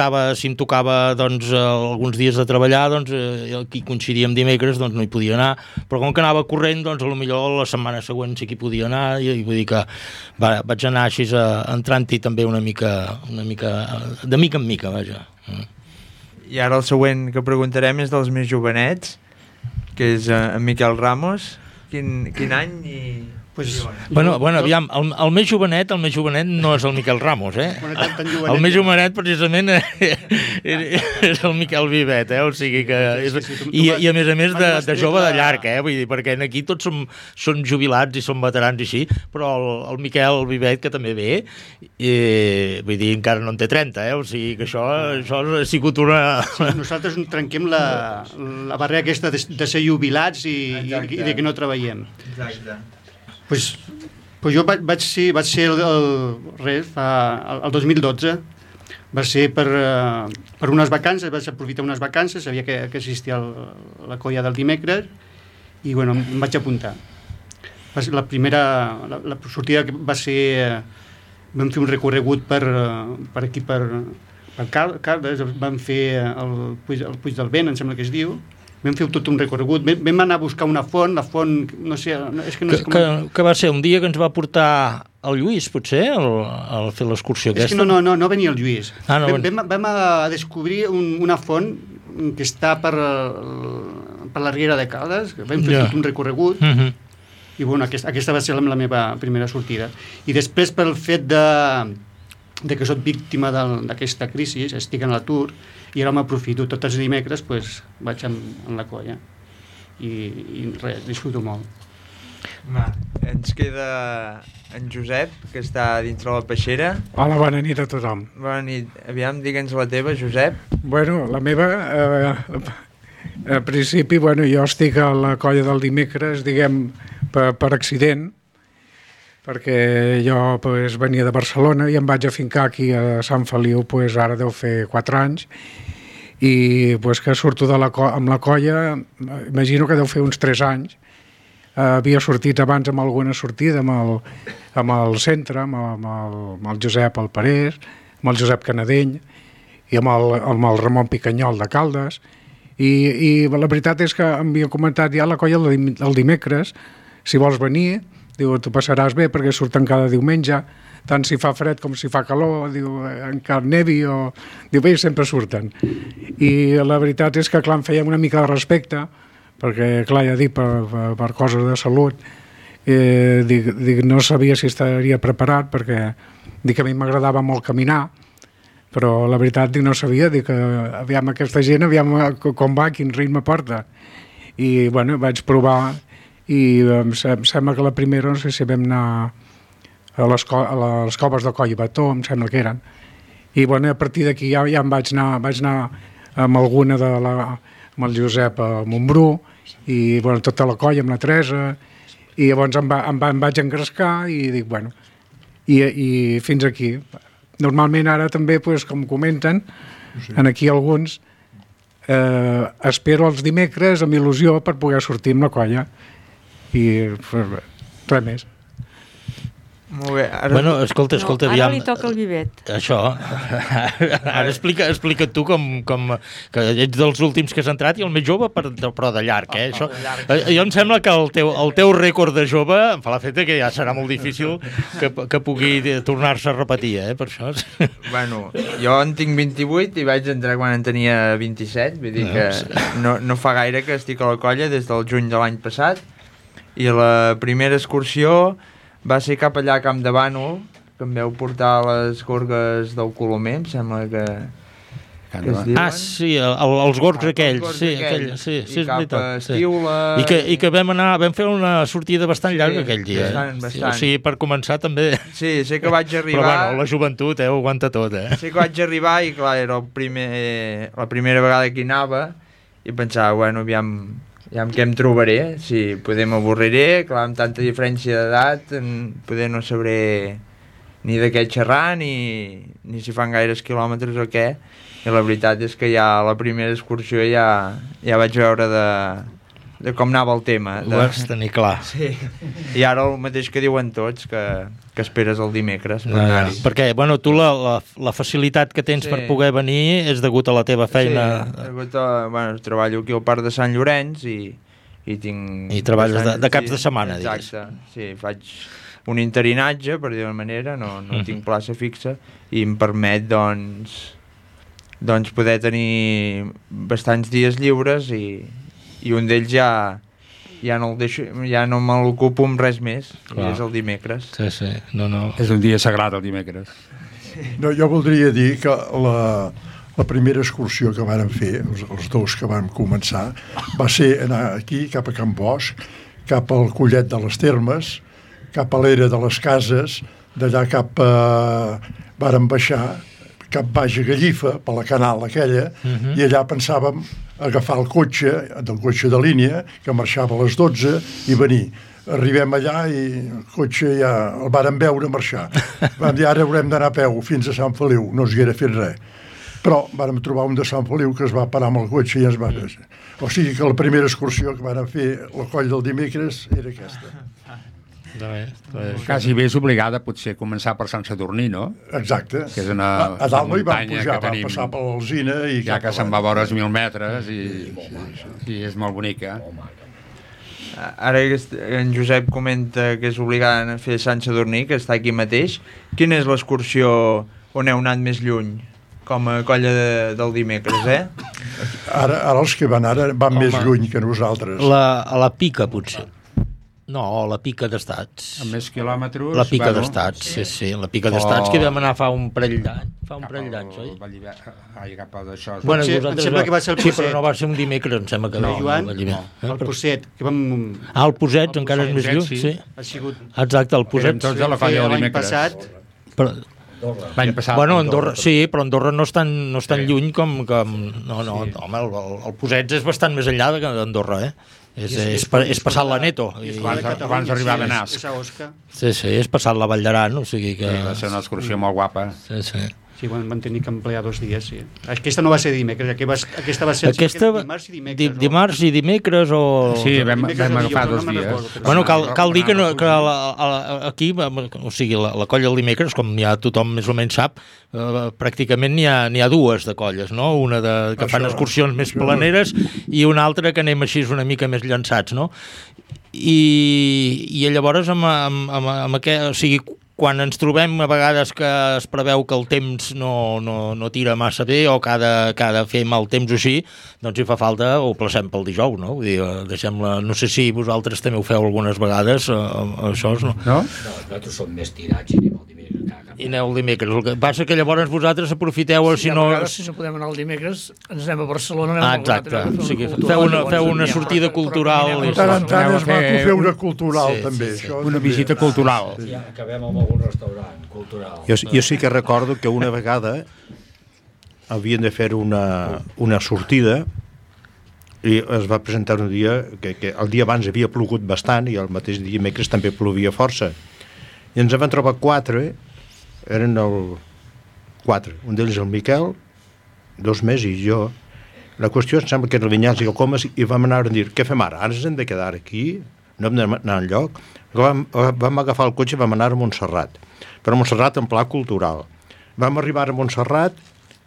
em tocava doncs alguns dies de treballar, doncs qui coincidia amb dimecres doncs no hi podia anar, però com que anava corrent doncs potser la setmana següent sí que hi podia anar, i vull dir que vaig anar així entrant-hi també una mica de mica en mica, vaja. I ara el següent que preguntarem és dels més jovenets, que és en Miquel Ramos. Quin any i... Bueno, aviam, el més jovenet no és el Miquel Ramos, el més jovenet precisament és el Miquel Vivet, o sigui que... I a més de jove de llarg, vull dir, perquè aquí tots som jubilats i som veterans i així, però el Miquel Vivet, que també ve, vull dir, encara no en té 30, o sigui que això ha sigut una... Nosaltres trenquem la barrera aquesta de ser jubilats i de que no treballem. Exacte. Pues jo vaig ser el 2012, va ser per unes vacances, vaig aprofitar unes vacances, sabia que existia la colla del dimecres, i bueno, em vaig apuntar. La sortida va ser, vam fer un recorregut per aquí, per Caldes, vam fer el Puig del Vent, em sembla que es diu. Vam fer tot un recorregut, vam anar a buscar una font, la font, no sé... Que va ser un dia que ens va portar el Lluís, potser, a fer l'excursió aquesta? És que no venia el Lluís. Vam a descobrir una font que està per la Riera de Caldes, vam fer tot un recorregut, i bueno, aquesta va ser la meva primera sortida. I després, pel fet de que soc víctima d'aquesta crisi, estic en l'atur, i ara m'aprofito tots els dimecres, vaig en la colla i res, disfruto molt. Ens queda en Josep, que està dintre la peixera. Hola, bona nit a tothom. Bona nit. Aviam, digue'ns la teva, Josep. Bueno, la meva, a principi, jo estic a la colla del dimecres, diguem, per accident, perquè jo venia de Barcelona i em vaig afincar aquí a Sant Feliu, ara deu fer 4 anys, i que surto amb la colla, imagino que deu fer uns 3 anys. Havia sortit abans amb alguna sortida amb el centre, amb el Josep Alparés, amb el Josep Canadell i amb el Ramon Picanyol de Caldes, i la veritat és que m'havia comentat ja la colla el dimecres, si vols venir, diu, tu passaràs bé perquè surten cada diumenge, tant si fa fred com si fa calor, diu, encara nevi o... Diu, bé, sempre surten. I la veritat és que, clar, em feia una mica de respecte, perquè, clar, ja dic, per coses de salut, dic, no sabia si estaria preparat, perquè dic que a mi m'agradava molt caminar, però la veritat dic, no sabia, dic, aviam aquesta gent, aviam com va, quin ritme porta. I, bueno, vaig provar, i em sembla que la primera, no sé si vam anar a les coves de Coll i Bató, em sembla que eren, i bueno, a partir d'aquí ja em vaig anar amb alguna amb el Josep a Montbrú, i bueno, tota la colla amb la Teresa, i llavors em vaig engrescar i dic, bueno, i fins aquí. Normalment ara també, com comenten, aquí alguns, espero els dimecres amb il·lusió per poder sortir amb la colla, i res més. Molt bé. Bueno, escolta, Ara li toca el Vivet. Això. Ara explica't tu que ets dels últims que has entrat i el més jove, però de llarg, eh? Això, jo em sembla que el teu rècord de jove em fa l'efecte que ja serà molt difícil que pugui tornar-se a repetir, per això. Bueno, jo en tinc 28 i vaig entrar quan en tenia 27, vull dir que no fa gaire que estic a la colla, des del juny de l'any passat, i la primera excursió va ser cap allà a Camp de Bànol, que em veu portar a les gorgues del Colomer, em sembla que es diuen. Sí, els gorgs aquells. Sí, és veritat. I que vam fer una sortida bastant llarga aquell dia. Bastant. O sigui, per començar també... Sí, sé que vaig arribar... Però bueno, la joventut ho aguanta tot, Sé que vaig arribar i clar, era la primera vegada que hi anava i pensava, bueno, aviam què em trobaré, si poder m'avorriré, clar, amb tanta diferència d'edat, poder no sabré ni de què xerrar, ni si fan gaires quilòmetres o què, i la veritat és que ja la primera excursió ja vaig veure de com anava el tema. Ho vas tenir clar. Sí, i ara el mateix que diuen tots, que esperes el dimecres. Perquè, bueno, tu la facilitat que tens per poder venir és degut a la teva feina. Sí, degut a... Bueno, treballo aquí al Parc de Sant Llorenç i tinc... I treballes de caps de setmana, digues. Exacte, sí, faig un interinatge, per dir-ho manera, no tinc plaça fixa, i em permet, doncs poder tenir bastants dies lliures i un d'ells ja no me l'ocupo amb res més, i és el dimecres. Sí, no. És un dia sagrat el dimecres. No, jo voldria dir que la primera excursió que vàrem fer, els dos que vam començar, va ser anar aquí, cap a Can Bosch, cap al Collet de les Termes, cap a l'Era de les Cases, d'allà cap a... vàrem baixar cap baix a Gallifa, per la canal aquella, i allà pensàvem agafar el cotxe de línia, que marxava a les 12, i venir. Arribem allà i el cotxe ja el vàrem veure marxar. Vam dir, ara haurem d'anar a peu fins a Sant Feliu, no es haguera fet res. Però vàrem trobar un de Sant Feliu que es va parar amb el cotxe i ens va... O sigui que la primera excursió que vàrem fer la coll del dimecres era aquesta. Quasi bé és obligada potser començar per Sant Sadurní, no? Exacte. Que és una muntanya que tenim, passar per l'Alzina i ja que se'n va veure els 1.000 metres i és molt bonica. Ara en Josep comenta que és obligada a fer Sant Sadurní, que està aquí mateix. Quina és l'excursió on heu anat més lluny? Com a colla del dimecres, Ara els que van més lluny que nosaltres. A la Pica, potser. No, la Pica d'Estats. Amb més quilòmetres... La Pica d'Estats, sí, la Pica d'Estats, que vam anar fa un parell d'anys, oi? Ai, cap a d'això... Bueno, em sembla que va ser el Poset. Sí, però no va ser un dimecres, em sembla que no. Joan, el Poset, que vam... El Poset encara és més lluny, sí. Ha sigut... Exacte, el Poset. Eren tots a la colla del dimecres. L'any passat. Bueno, Andorra, sí, però Andorra no és tan lluny com... No, home, el Poset és bastant més enllà d'Andorra, És passat la Neto. Abans d'arribar a Benasc. Sí, és passat la Vall d'Aran, o sigui que... Va ser una excursió molt guapa. Sí, van tenir que emplear 2 dies, sí. Aquesta no va ser dimecres, aquesta va ser dimarts i dimecres. Dimarts i dimecres o... Sí, vam agafar 2 dies. Bueno, cal dir que aquí, o sigui, la colla del dimecres, com ja tothom més o menys sap, pràcticament n'hi ha dues de colles, no? Una que fan excursions més planeres i una altra que anem així una mica més llançats, no? I llavors amb aquest... O sigui, quan ens trobem a vegades que es preveu que el temps no tira massa bé o que ha de fer mal temps o així, doncs si fa falta ho placem pel dijous, no? Vull dir, no sé si vosaltres també ho feu algunes vegades, això, no? No, nosaltres som més tirats i anem el dimecres. I aneu el dimecres. El que passa que llavors vosaltres aprofiteu... Si no podem anar el dimecres, ens anem a Barcelona. Exacte. O sigui, feu una sortida cultural. Tant en tant es va fer una cultural, també. Una visita cultural. Acabem amb algun restaurant cultural. Jo sí que recordo que una vegada havien de fer una sortida i es va presentar un dia que el dia abans havia plogut bastant i el mateix dimecres també plovia força. I ens van trobar 4, eren 4, un d'ells el Miquel, 2 més i jo. La qüestió em sembla que era el Vinyals i el Comas i vam anar a dir, què fem ara? Ara ens hem de quedar aquí no vam anar enlloc, vam agafar el cotxe i vam anar a Montserrat, però a Montserrat en pla cultural. Vam arribar a Montserrat,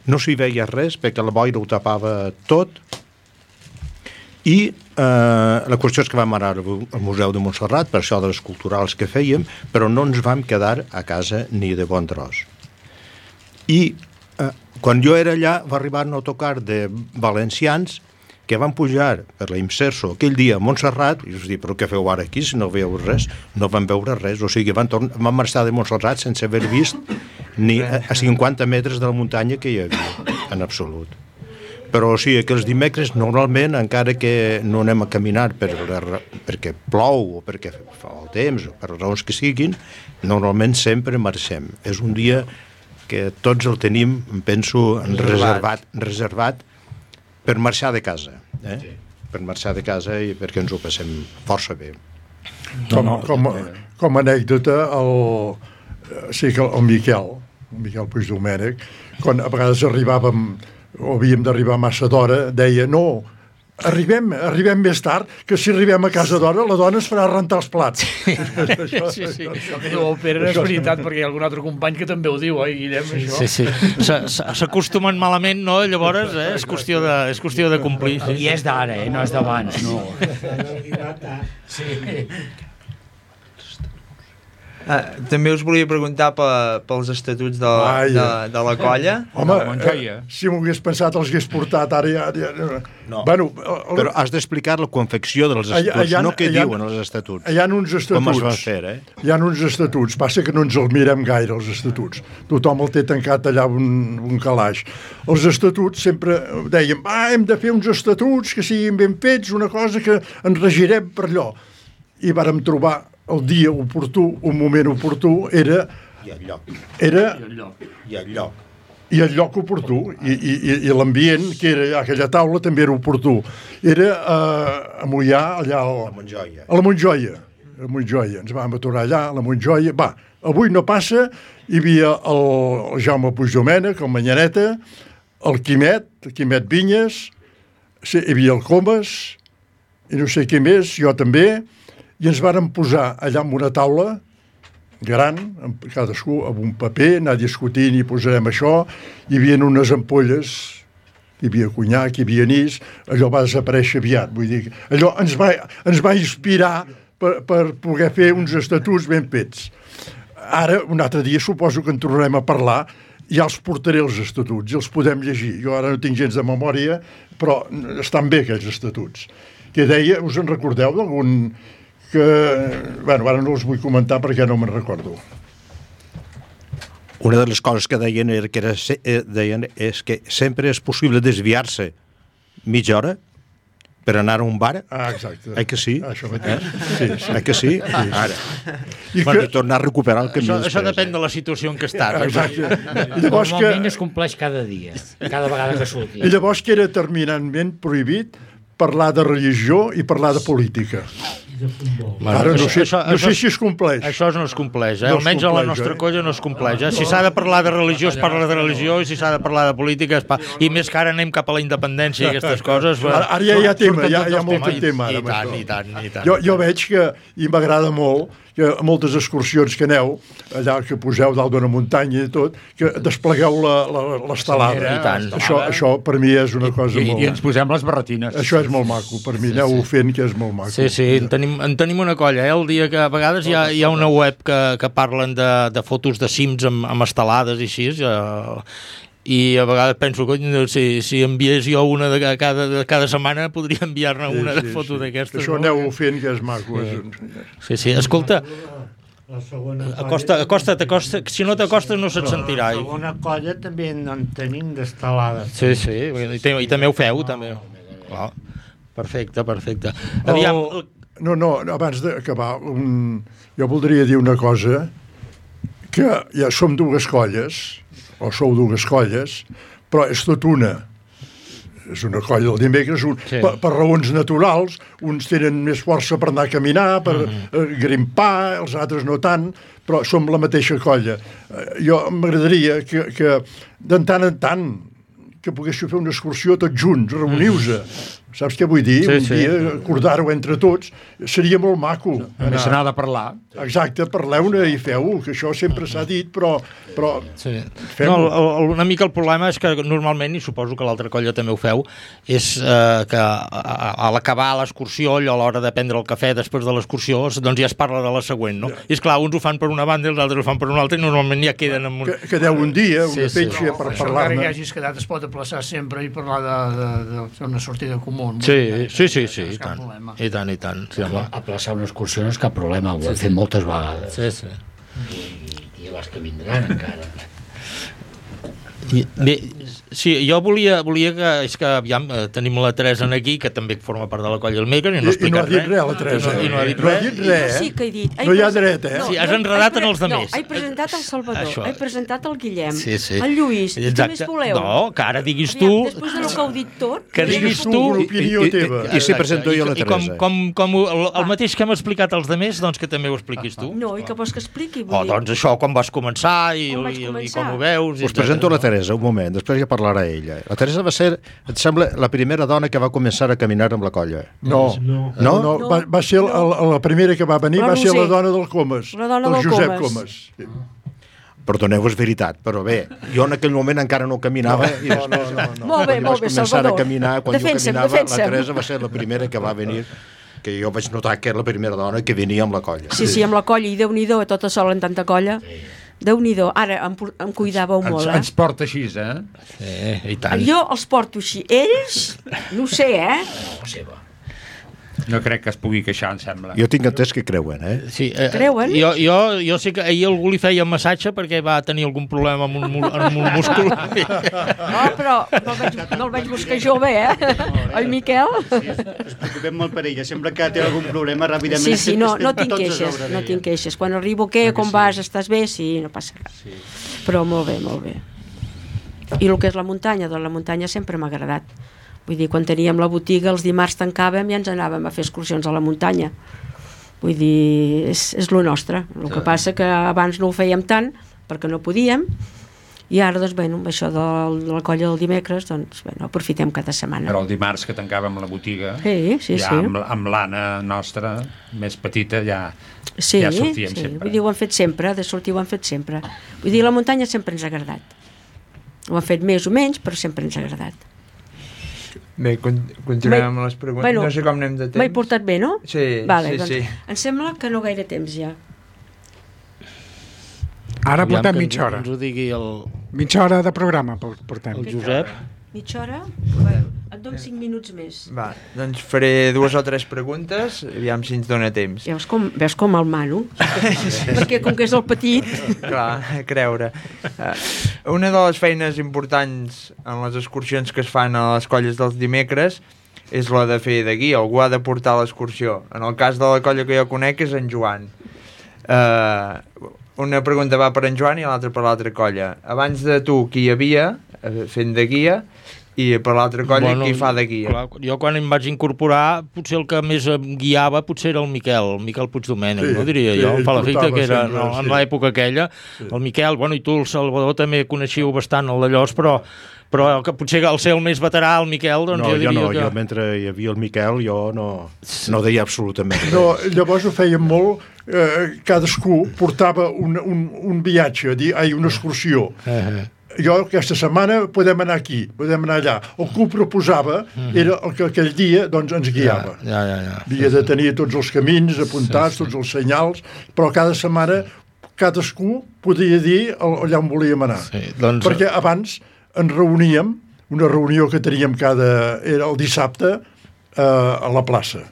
no s'hi veia res perquè la boira ho tapava tot, i la qüestió és que vam anar al Museu de Montserrat per això de les culturals que fèiem, però no ens vam quedar a casa ni de bon tros. I quan jo era allà va arribar un autocar de valencians que van pujar per la Imserso aquell dia a Montserrat i us dic, però què feu ara aquí si no veieu res? No van veure res, o sigui, van marxar de Montserrat sense haver vist ni a 50 metres de la muntanya que hi havia, en absolut. Però o sigui que els dimecres normalment, encara que no anem a caminar perquè plou o perquè fa el temps o per raons que siguin, normalment sempre marxem. És un dia que tots el tenim, penso, reservat per marxar de casa. Per marxar de casa i perquè ens ho passem força bé. Com a anècdota, el Miquel Puigdomènech, quan a vegades arribàvem o havíem d'arribar massa d'hora, deia, no, arribem més tard, que si arribem a casa d'hora la dona es farà rentar els plats. Sí. Això que diu el Pere és veritat, perquè hi ha algun altre company que també ho diu, Guillem, això. Sí. S'acostumen malament, no? Llavors, és qüestió de complir. Sí. I és d'ara, no és d'abans, no. Sí. També us volia preguntar pels estatuts de la colla. Home, si m'ho hagués pensat els hagués portat ara ja... No, però has d'explicar la confecció dels estatuts, no què diuen els estatuts. Hi ha uns estatuts. Com es van fer, Hi ha uns estatuts, passa que no ens els mirem gaire, els estatuts. Tothom el té tancat allà un calaix. Els estatuts sempre dèiem, hem de fer uns estatuts que siguin ben fets, una cosa que ens regirem per allò. I vàrem trobar el dia oportú, un moment oportú, era... I el lloc. I el lloc oportú. I l'ambient, que era aquella taula, també era oportú. Era a Moià, allà... A la Montjoia. Ens vam aturar allà, a la Montjoia. Va, avui no passa, hi havia el Jaume Puigdomènech, el Manyaneta, el Quimet Vinyes, hi havia el Comas, i no sé què més, jo també, i ens vàrem posar allà amb una taula gran, cadascú amb un paper, anar discutint i posarem això, hi havia unes ampolles, hi havia conyac, hi havia anís, allò va desaparèixer aviat, vull dir, allò ens va inspirar per poder fer uns estatuts ben fets. Ara, un altre dia, suposo que en tornarem a parlar, ja els portaré els estatuts, i els podem llegir. Jo ara no tinc gens de memòria, però estan bé aquells estatuts. Que deia, us en recordeu d'algun... que, bueno, ara no els vull comentar perquè no me'n recordo. Una de les coses que deien és que sempre és possible desviar-se mitja hora per anar a un bar. Exacte. Que sí? Això mateix. Sí. Que sí? Ara. I tornar a recuperar el camí. Això depèn de la situació en què estàs. Exacte. Normalment es compleix cada dia, cada vegada que surti. I llavors que era terminantment prohibit parlar de religió i parlar de política. Ara no sé si es compleix. Això no es compleix, almenys a la nostra colla no es compleix. Si s'ha de parlar de religió es parla de religió i si s'ha de parlar de política es parla... I més que ara anem cap a la independència i aquestes coses... Ara ja hi ha tema, hi ha molt de tema. I tant. Jo veig que, i m'agrada molt, que a moltes excursions que aneu, allà que poseu dalt d'una muntanya i tot, que desplegueu l'estelada. Això per mi és una cosa molt... I ens posem les barretines. Això és molt maco, per mi aneu fent que és molt maco. Sí, en tenim una colla, el dia que a vegades hi ha una web que parlen de fotos de cims amb estelades i així, i a vegades penso, si enviés jo una de cada setmana podria enviar-ne una de foto d'aquestes. Això aneu fent que és maco. Sí, escolta, acosta't, si no t'acostes no se't sentirà. La segona colla també en tenim d'estelades. Sí, i també ho feu, també. Perfecte. Aviam... No, abans d'acabar, jo voldria dir una cosa, que ja som dues colles, o sou dues colles, però és tot una. És una colla del dimecres, per raons naturals, uns tenen més força per anar a caminar, per grimpar, els altres no tant, però som la mateixa colla. Jo m'agradaria que de tant en tant que poguéssiu fer una excursió tots junts, reuniu-se, Saps què vull dir? Un dia acordar-ho entre tots seria molt maco. Només se n'ha de parlar. Exacte, parleu-ne i feu-ho, que això sempre s'ha dit, però una mica el problema és que normalment, i suposo que l'altra colla també ho feu, és que a l'acabar l'excursió, allò a l'hora de prendre el cafè després de l'excursió, doncs ja es parla de la següent, no? I esclar, uns ho fan per una banda i els altres ho fan per una altra i normalment ja queden amb un... Quedeu un dia, una petja per Això parlar-ne. encara que hagis quedat es pot aplaçar sempre i parlar de fer una sortida comú. Sí, i tant. Sí, aplaçar una excursió no és cap problema, ho hem fet moltes vegades. I les que vindran encara. Bé, sí, jo volia que, és que aviam, tenim la Teresa aquí, que també forma part de la colla del Maker, i no ha explicat res. I no ha dit res, la Teresa. I no ha dit res. Sí que he dit. No hi ha dret, eh? Sí, has enredat en els No, demés. he presentat el Salvador, he presentat el Guillem, Sí. el Lluís, i què més voleu? No, que ara diguis tu... Després del que heu dit tot... Que diguis tu... I si presento jo la Teresa. I com el mateix que hem explicat als demés, doncs que també ho expliquis tu. No, i que vols que expliqui? Doncs això, quan vas començar i com ho veus... Us presento la Teresa, un moment, després ja parlarà ella. La Teresa va ser, et sembla, la primera dona que va començar a caminar amb la colla. No. Va ser la primera que va venir, va ser la dona del Comas, del Josep Comas. Perdoneu, és veritat, però bé, jo en aquell moment encara no caminava i després, Molt bé, Salvador. Quan jo caminava, la Teresa va ser la primera que va venir, que jo vaig notar que era la primera dona que venia amb la colla. Sí, amb la colla, i Déu-n'hi-do, tota sola en tanta colla. Déu-n'hi-do, ara em cuidàveu molt, Ens porta així, eh? Sí, i tant. Jo els porto així. Ells, no ho sé, No crec que es pugui queixar, em sembla. Jo tinc entès que creuen, Sí, creuen? Jo sé que ahir algú li feia un massatge perquè va tenir algun problema amb un múscul. No, però no el vaig buscar jove, Oi, Miquel? Ens preocupem molt per ella. Sempre que té algun problema, ràpidament... Sí, no tinc queixes. Quan arribo, què, com vas, estàs bé? Sí, no passa res. Però molt bé. I el que és la muntanya? Doncs la muntanya sempre m'ha agradat. Vull dir, quan teníem la botiga, els dimarts tancàvem i ens anàvem a fer excursions a la muntanya. Vull dir, és lo nostre. El que passa que abans no ho fèiem tant, perquè no podíem, i ara, doncs, amb això de la colla del dimecres, doncs, aprofitem cada setmana. Però el dimarts que tancàvem la botiga, sí. amb l'Anna nostra, més petita, ja sortíem sempre. Vull dir, ho hem fet sempre, de sortir ho hem fet sempre. Vull dir, la muntanya sempre ens ha agradat. Ho hem fet més o menys, però sempre ens ha agradat. Bé, continuem amb les preguntes. No sé com anem de temps. M'he portat bé, no? Sí. Em sembla que no gaire temps ja. Ara portem mitja hora. Ens ho digui mitja hora de programa portem. El Josep. Mitja hora? Et dono 5 minuts més. Va, doncs faré 2 o 3 preguntes, aviam si ens dona temps. Veus com el mano? Perquè com que és el petit... Clar, a creure. Una de les feines importants en les excursions que es fan a les colles dels dimecres és la de fer de guia, algú ha de portar l'excursió. En el cas de la colla que jo conec és en Joan. Una pregunta va per en Joan i l'altra per l'altra colla. Abans de tu, qui hi havia fent de guia, i per l'altra colla qui fa de guia? Clar, jo quan em vaig incorporar, potser el que més em guiava potser era el Miquel Puigdomènec, no diria jo, em fa l'efecte que era en l'època aquella, el Miquel, i tu el Salvador també coneixíeu bastant el d'Allòs, però que potser al ser el més veterà, el Miquel, doncs jo diria que... Jo mentre hi havia el Miquel, jo no deia absolutament res. No, llavors ho feien molt, cadascú portava un viatge, una excursió. Jo aquesta setmana podem anar aquí, podem anar allà. El que ho proposava era el que aquell dia doncs, ens guiava. Havia de tenir tots els camins apuntats, tots els senyals, però cada setmana cadascú podia dir allà on volíem anar. Perquè abans ens reuníem, una reunió que teníem era el dissabte a la plaça.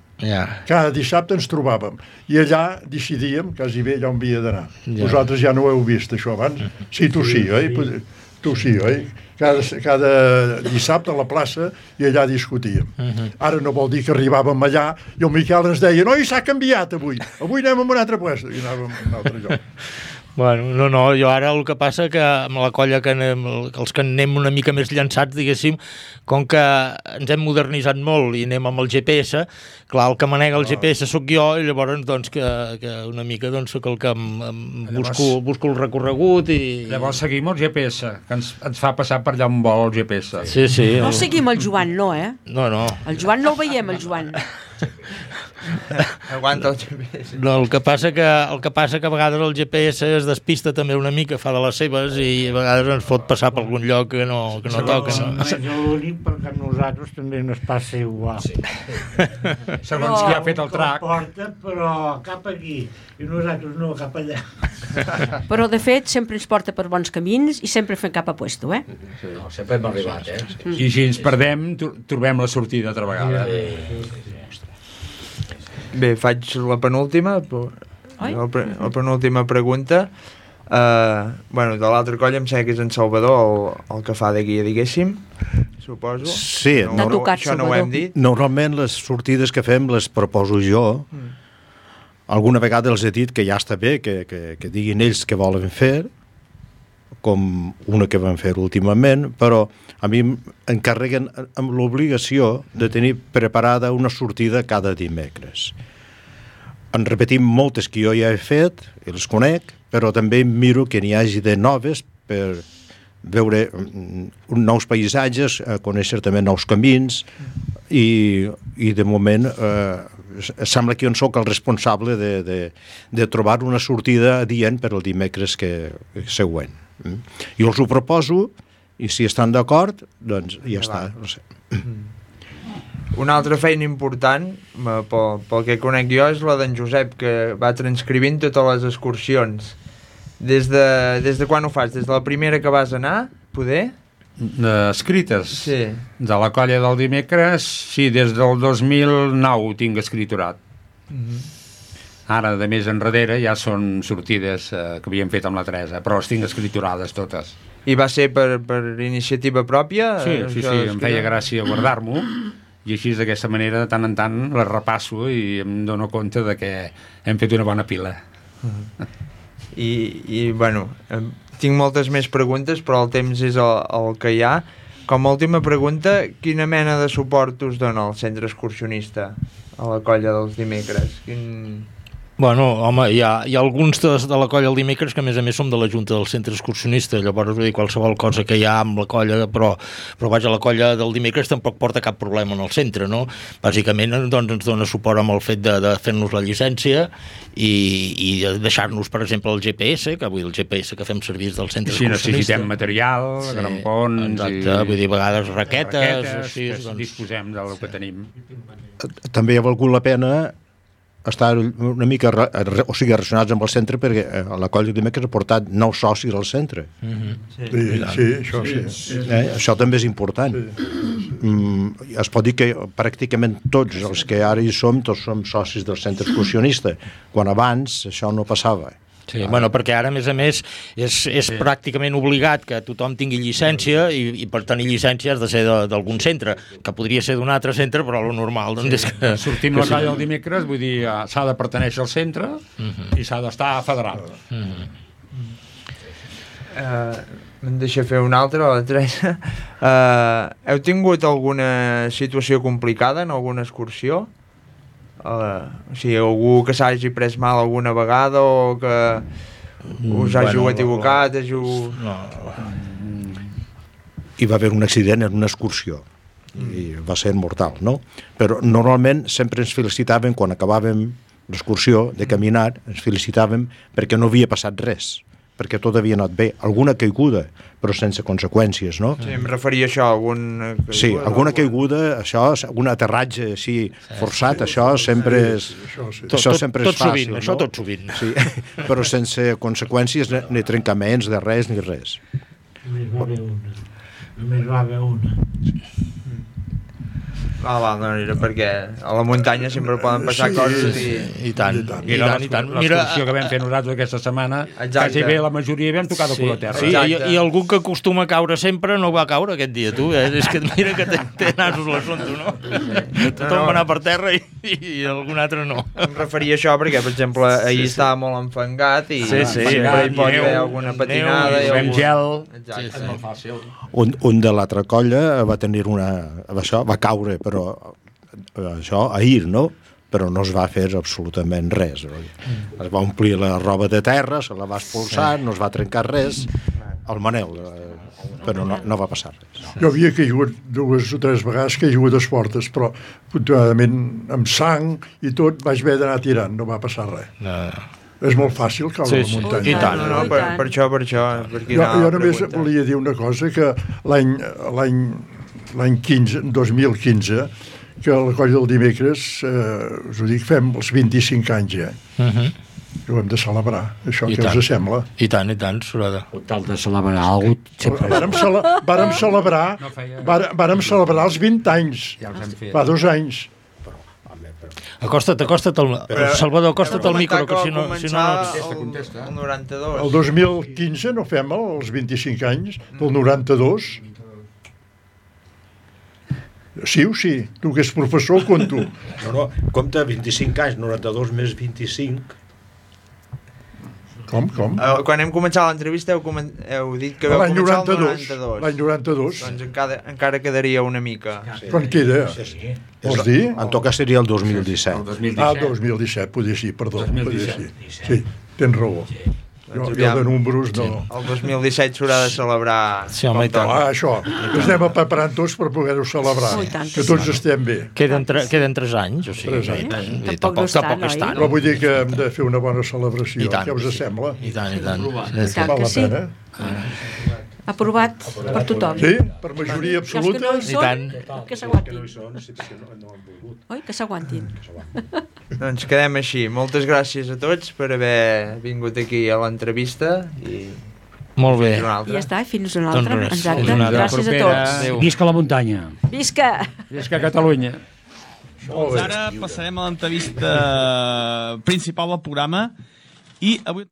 Cada dissabte ens trobàvem i allà decidíem quasi bé allà on havia d'anar. Vosaltres ja no ho heu vist, això abans? Sí, tu sí, oi? Tu sí, oi? Cada dissabte a la plaça i allà discutíem. Ara no vol dir que arribàvem allà i el Miquel ens deia, no, i s'ha canviat avui anem a un altre lloc i anàvem a un altre lloc. Bueno, no, jo ara el que passa que amb la colla que anem, els que anem una mica més llançats, diguéssim, com que ens hem modernitzat molt i anem amb el GPS, clar, el que manega el GPS sóc jo i llavors doncs que una mica doncs sóc el que busco el recorregut i... Llavors seguim el GPS, que ens fa passar per allà on vol el GPS. Sí. No seguim el Joan, no, eh? No. El Joan no el veiem, el Joan. Aguanta el GPS. No, el que passa que a vegades el GPS es despista també una mica, fa de les seves i a vegades ens fot passar per algun lloc que no toca. No és l'únic perquè a nosaltres també ens passa igual. Sí. Segons qui ha fet el track. Porta, però cap aquí i nosaltres no, cap allà. Però de fet sempre ens porta per bons camins i sempre fem cap a puesto, eh? Sí, no, sempre hem arribat, eh? I si ens perdem, trobem la sortida altra vegada. Bé, faig la penúltima, la penúltima pregunta. De l'altra colla em sembla que és en Salvador el que fa de guia, diguéssim, suposo. Sí, això no ho hem dit. Normalment les sortides que fem les proposo jo. Alguna vegada els he dit que ja està bé que diguin ells què volen fer, com una que van fer últimament, però a mi encarreguen amb l'obligació de tenir preparada una sortida cada dimecres. En repetim moltes que jo ja he fet, i les conec, però també miro que n'hi hagi de noves per veure nous paisatges, conèixer també nous camins, i de moment sembla que jo en soc el responsable de trobar una sortida adient per al dimecres següent. Jo els ho proposo i si estan d'acord, doncs ja està. No sé. Una altra feina important, pel que conec jo, és la d'en Josep, que va transcrivint totes les excursions. Des de quan ho fas? Des de la primera que vas anar, poder? Escrites? Sí. De la colla del dimecres, sí, des del 2009 ho tinc escriturat. Ara, de més enrere, ja són sortides que havíem fet amb la Teresa, però les tinc escriturades totes. I va ser per iniciativa pròpia? Sí, em feia gràcia guardar-m'ho, i així d'aquesta manera, de tant en tant, les repasso i em dono compte de que hem fet una bona pila. I bueno, tinc moltes més preguntes, però el temps és el que hi ha. Com a última pregunta, quina mena de suport us dona el centre excursionista a la colla dels dimecres? Bueno, home, hi ha alguns de la colla el dimecres que a més som de la Junta del Centre Excursionista, llavors vull dir, qualsevol cosa que hi ha amb la colla, però vaja, la colla del dimecres tampoc porta cap problema en el centre, no? Bàsicament doncs, ens dona suport amb el fet de fer-nos la llicència i deixar-nos, per exemple, el GPS, que avui el GPS que fem servir del centre excursionista. Si necessitem material, grampons... Exacte, vull dir, a vegades raquetes disposem del que tenim. També ha valgut la pena estar una mica relacionats amb el centre, perquè la colla de dimecres ha portat 9 socis al centre. Això també és important. Es pot dir que pràcticament tots els que ara hi som, tots som socis del centre excursionista, quan abans això no passava. Sí, bueno, perquè ara, a més, és pràcticament obligat que tothom tingui llicència i per tenir llicència has de ser d'algun centre, que podria ser d'un altre centre, però lo normal doncs és que... Sortim la colla el dimecres, vull dir, s'ha de pertenèixer al centre i s'ha d'estar federal. Em deixa fer una altra, la Teresa. Heu tingut alguna situació complicada en alguna excursió? O sigui, algú que s'hagi pres mal alguna vegada o que us hàgiu equivocat, Hi va haver un accident en una excursió i va ser mortal, no? Però normalment sempre ens felicitàvem quan acabàvem l'excursió de caminar, ens felicitàvem perquè no havia passat res, perquè tot havia anat bé. Alguna caiguda, però sense conseqüències, no? Sí, em referia a això, alguna caiguda. Sí, alguna caiguda, això, algun aterratge així forçat, això sempre és... Això sempre és fàcil, no? Això tot sovint. Sí, però sense conseqüències, ni trencaments de res ni res. Només va haver una. No, era perquè a la muntanya sempre poden passar coses i tant. L'excursió que vam fer nosaltres aquesta setmana, quasi bé la majoria vam tocar de color terra. Sí, i algú que acostuma a caure sempre no va caure aquest dia, tu. És que mira que té nasos l'assumpte, no? Tothom va anar per terra i algun altre no. Em referia a això perquè, per exemple, ahir estava molt enfangat i sempre hi pot haver alguna patinada. Fem gel. És molt fàcil. Un de l'altra colla va tenir va caure, però això ahir, no? Però no es va fer absolutament res. Es va omplir la roba de terra, se la va expulsar, no es va trencar res. El Manel, però no va passar res. Jo havia caigut 2 o 3 vegades, caigut a Esportes, però afortunadament amb sang i tot vaig haver d'anar tirant, no va passar res. És molt fàcil caure a la muntanya. I tant. No, per això. Jo només volia dir una cosa, que l'any 2015, que a la colla del dimecres, us ho dic, fem els 25 anys ja. Ho hem de celebrar, això que us sembla. I tant, Surada. Tal de celebrar alguna cosa. Vàrem celebrar els 20 anys, fa 2 anys. Acosta't, Salvador, acosta't al micro, que si no... El 92. El 2015 no fem els 25 anys, del 92. Sí o sí? Tu que ets professor, conto. No, compta 25 anys, 92 més 25... Com? Quan hem començat l'entrevista heu dit que vau començar el 92. L'any 92. Doncs encara quedaria una mica. Quan queda? Vols dir? En tot cas seria el 2017. El 2017, podria ser, perdó. Sí, tens raó. Jo de números no... El 2017 s'haurà de celebrar... Sí, home, i tant. Això, ens anem preparant tots per poder-ho celebrar, que tots estem bé. Queden 3 anys, o sigui... 3 anys. Tampoc és tant. Però vull dir que hem de fer una bona celebració, què us sembla? I tant. Val la pena. Aprovat per tothom. Sí, per majoria absoluta. I tant. Que s'aguantin. Oi, que s'aguantin. Doncs quedem així. Moltes gràcies a tots per haver vingut aquí a l'entrevista i... Molt bé. I ja està, fins una altra. Exacte. Gràcies a tots. Visca la muntanya. Visca! Visca Catalunya. Doncs ara passarem a l'entrevista principal del programa i avui...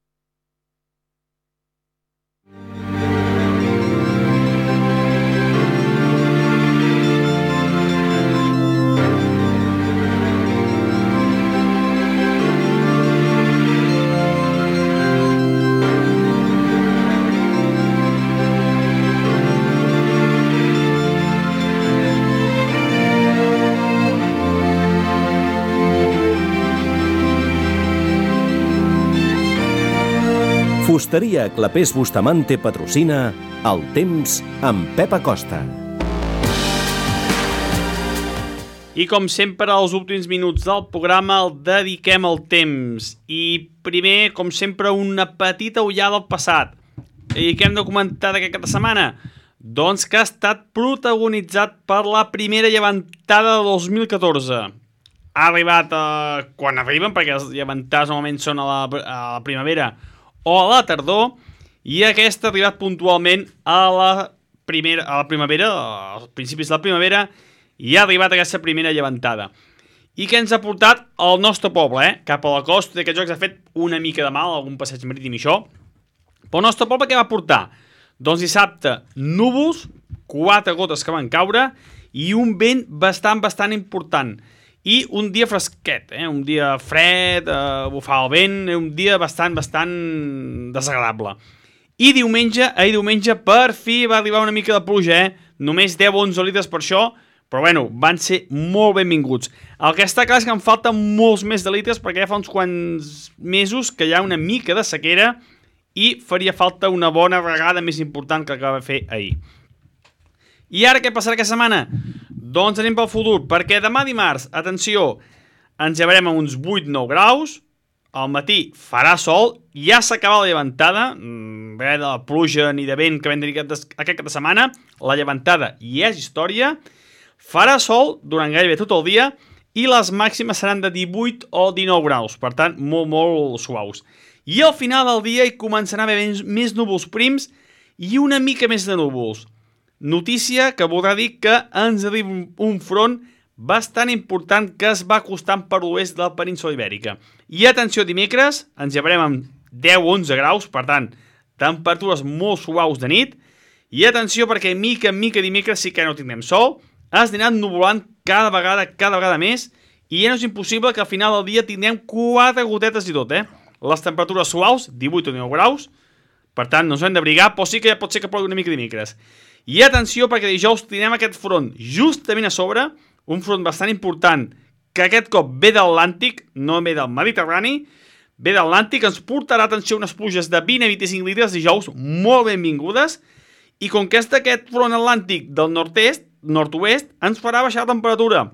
Fusteria Clapés Bustamante patrocina El Temps amb Pep Acosta. I com sempre, als últims minuts del programa el dediquem al temps. I primer, com sempre, una petita ullada al passat. I què hem de comentar d'aquesta setmana? Doncs que ha estat protagonitzat per la primera llevantada de 2014. Ha arribat quan arriben, perquè les llevantades normalment són a la primavera o a la tardor, i aquesta ha arribat puntualment a la primavera, als principis de la primavera, i ha arribat aquesta primera llevantada. I què ens ha portat al nostre poble, cap a la costa, d'aquests jocs ha fet una mica de mal, algun passeig marítim i això. Però el nostre poble què va portar? Doncs dissabte, núvols, 4 gotes que van caure, i un vent bastant important. I un dia fresquet, un dia fred, bufava el vent, un dia bastant desagradable. I ahir diumenge, per fi va arribar una mica de pluja, només 10-11 litres per això, però bueno, van ser molt benvinguts. El que està clar és que em falten molts més de litres perquè ja fa uns quants mesos que hi ha una mica de sequera i faria falta una bona regada més important que la que va fer ahir. I ara què passarà aquesta setmana? Doncs anem pel futur, perquè demà dimarts, atenció, ens llevarem a uns 8-9 graus, al matí farà sol, ja s'acaba la llevantada, res de la pluja ni de vent que vam tenir aquesta setmana, la llevantada ja és història, farà sol durant gairebé tot el dia i les màximes seran de 18 o 19 graus, per tant, molt suaus. I al final del dia hi començarà a haver més núvols prims i una mica més de núvols. Notícia que voldrà dir que ens arriba un front bastant important que es va acostant per l'oest de la península ibèrica. I atenció, dimecres ens llevarem amb 10-11 graus, per tant, temperatures molt suaus de nit. I atenció, perquè mica en mica dimecres sí que no tindrem sol, es anirà ennuvolant cada vegada més, i ja no és impossible que al final del dia tindrem 4 gotetes i tot, Les temperatures suaus, 18 o 19 graus, per tant, no ens hem d'abrigar, però sí que pot ser que plogui una mica dimecres. I atenció, perquè dijous tindrem aquest front justament a sobre, un front bastant important, que aquest cop ve de l'Atlàntic, no ve del Mediterrani, ve de l'Atlàntic, ens portarà, atenció, unes pluges de 20 a 25 litres dijous, molt benvingudes, i com que és d'aquest front atlàntic del nord-oest, ens farà baixar la temperatura.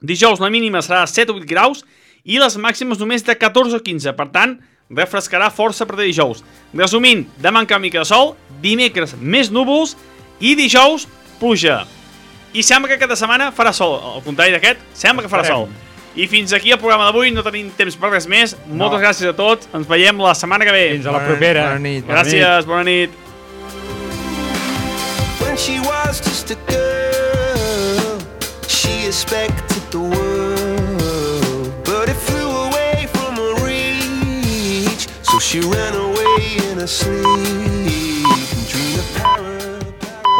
Dijous la mínima serà de 7 o 8 graus i les màximes només de 14 o 15, per tant, refrescarà força a partir de dijous. Resumint, demà encara mica de sol, dimecres més núvols i dijous pluja. I sembla que aquesta setmana farà sol, al contrari d'aquest, sembla que farà sol. I fins aquí el programa d'avui, no tenim temps per res més. Moltes gràcies a tots, ens veiem la setmana que ve. Fins a la propera. Bona nit. Gràcies, bona nit. When she was just a girl, she expected the world, but it flew away from her reach, so she ran away in her sleep.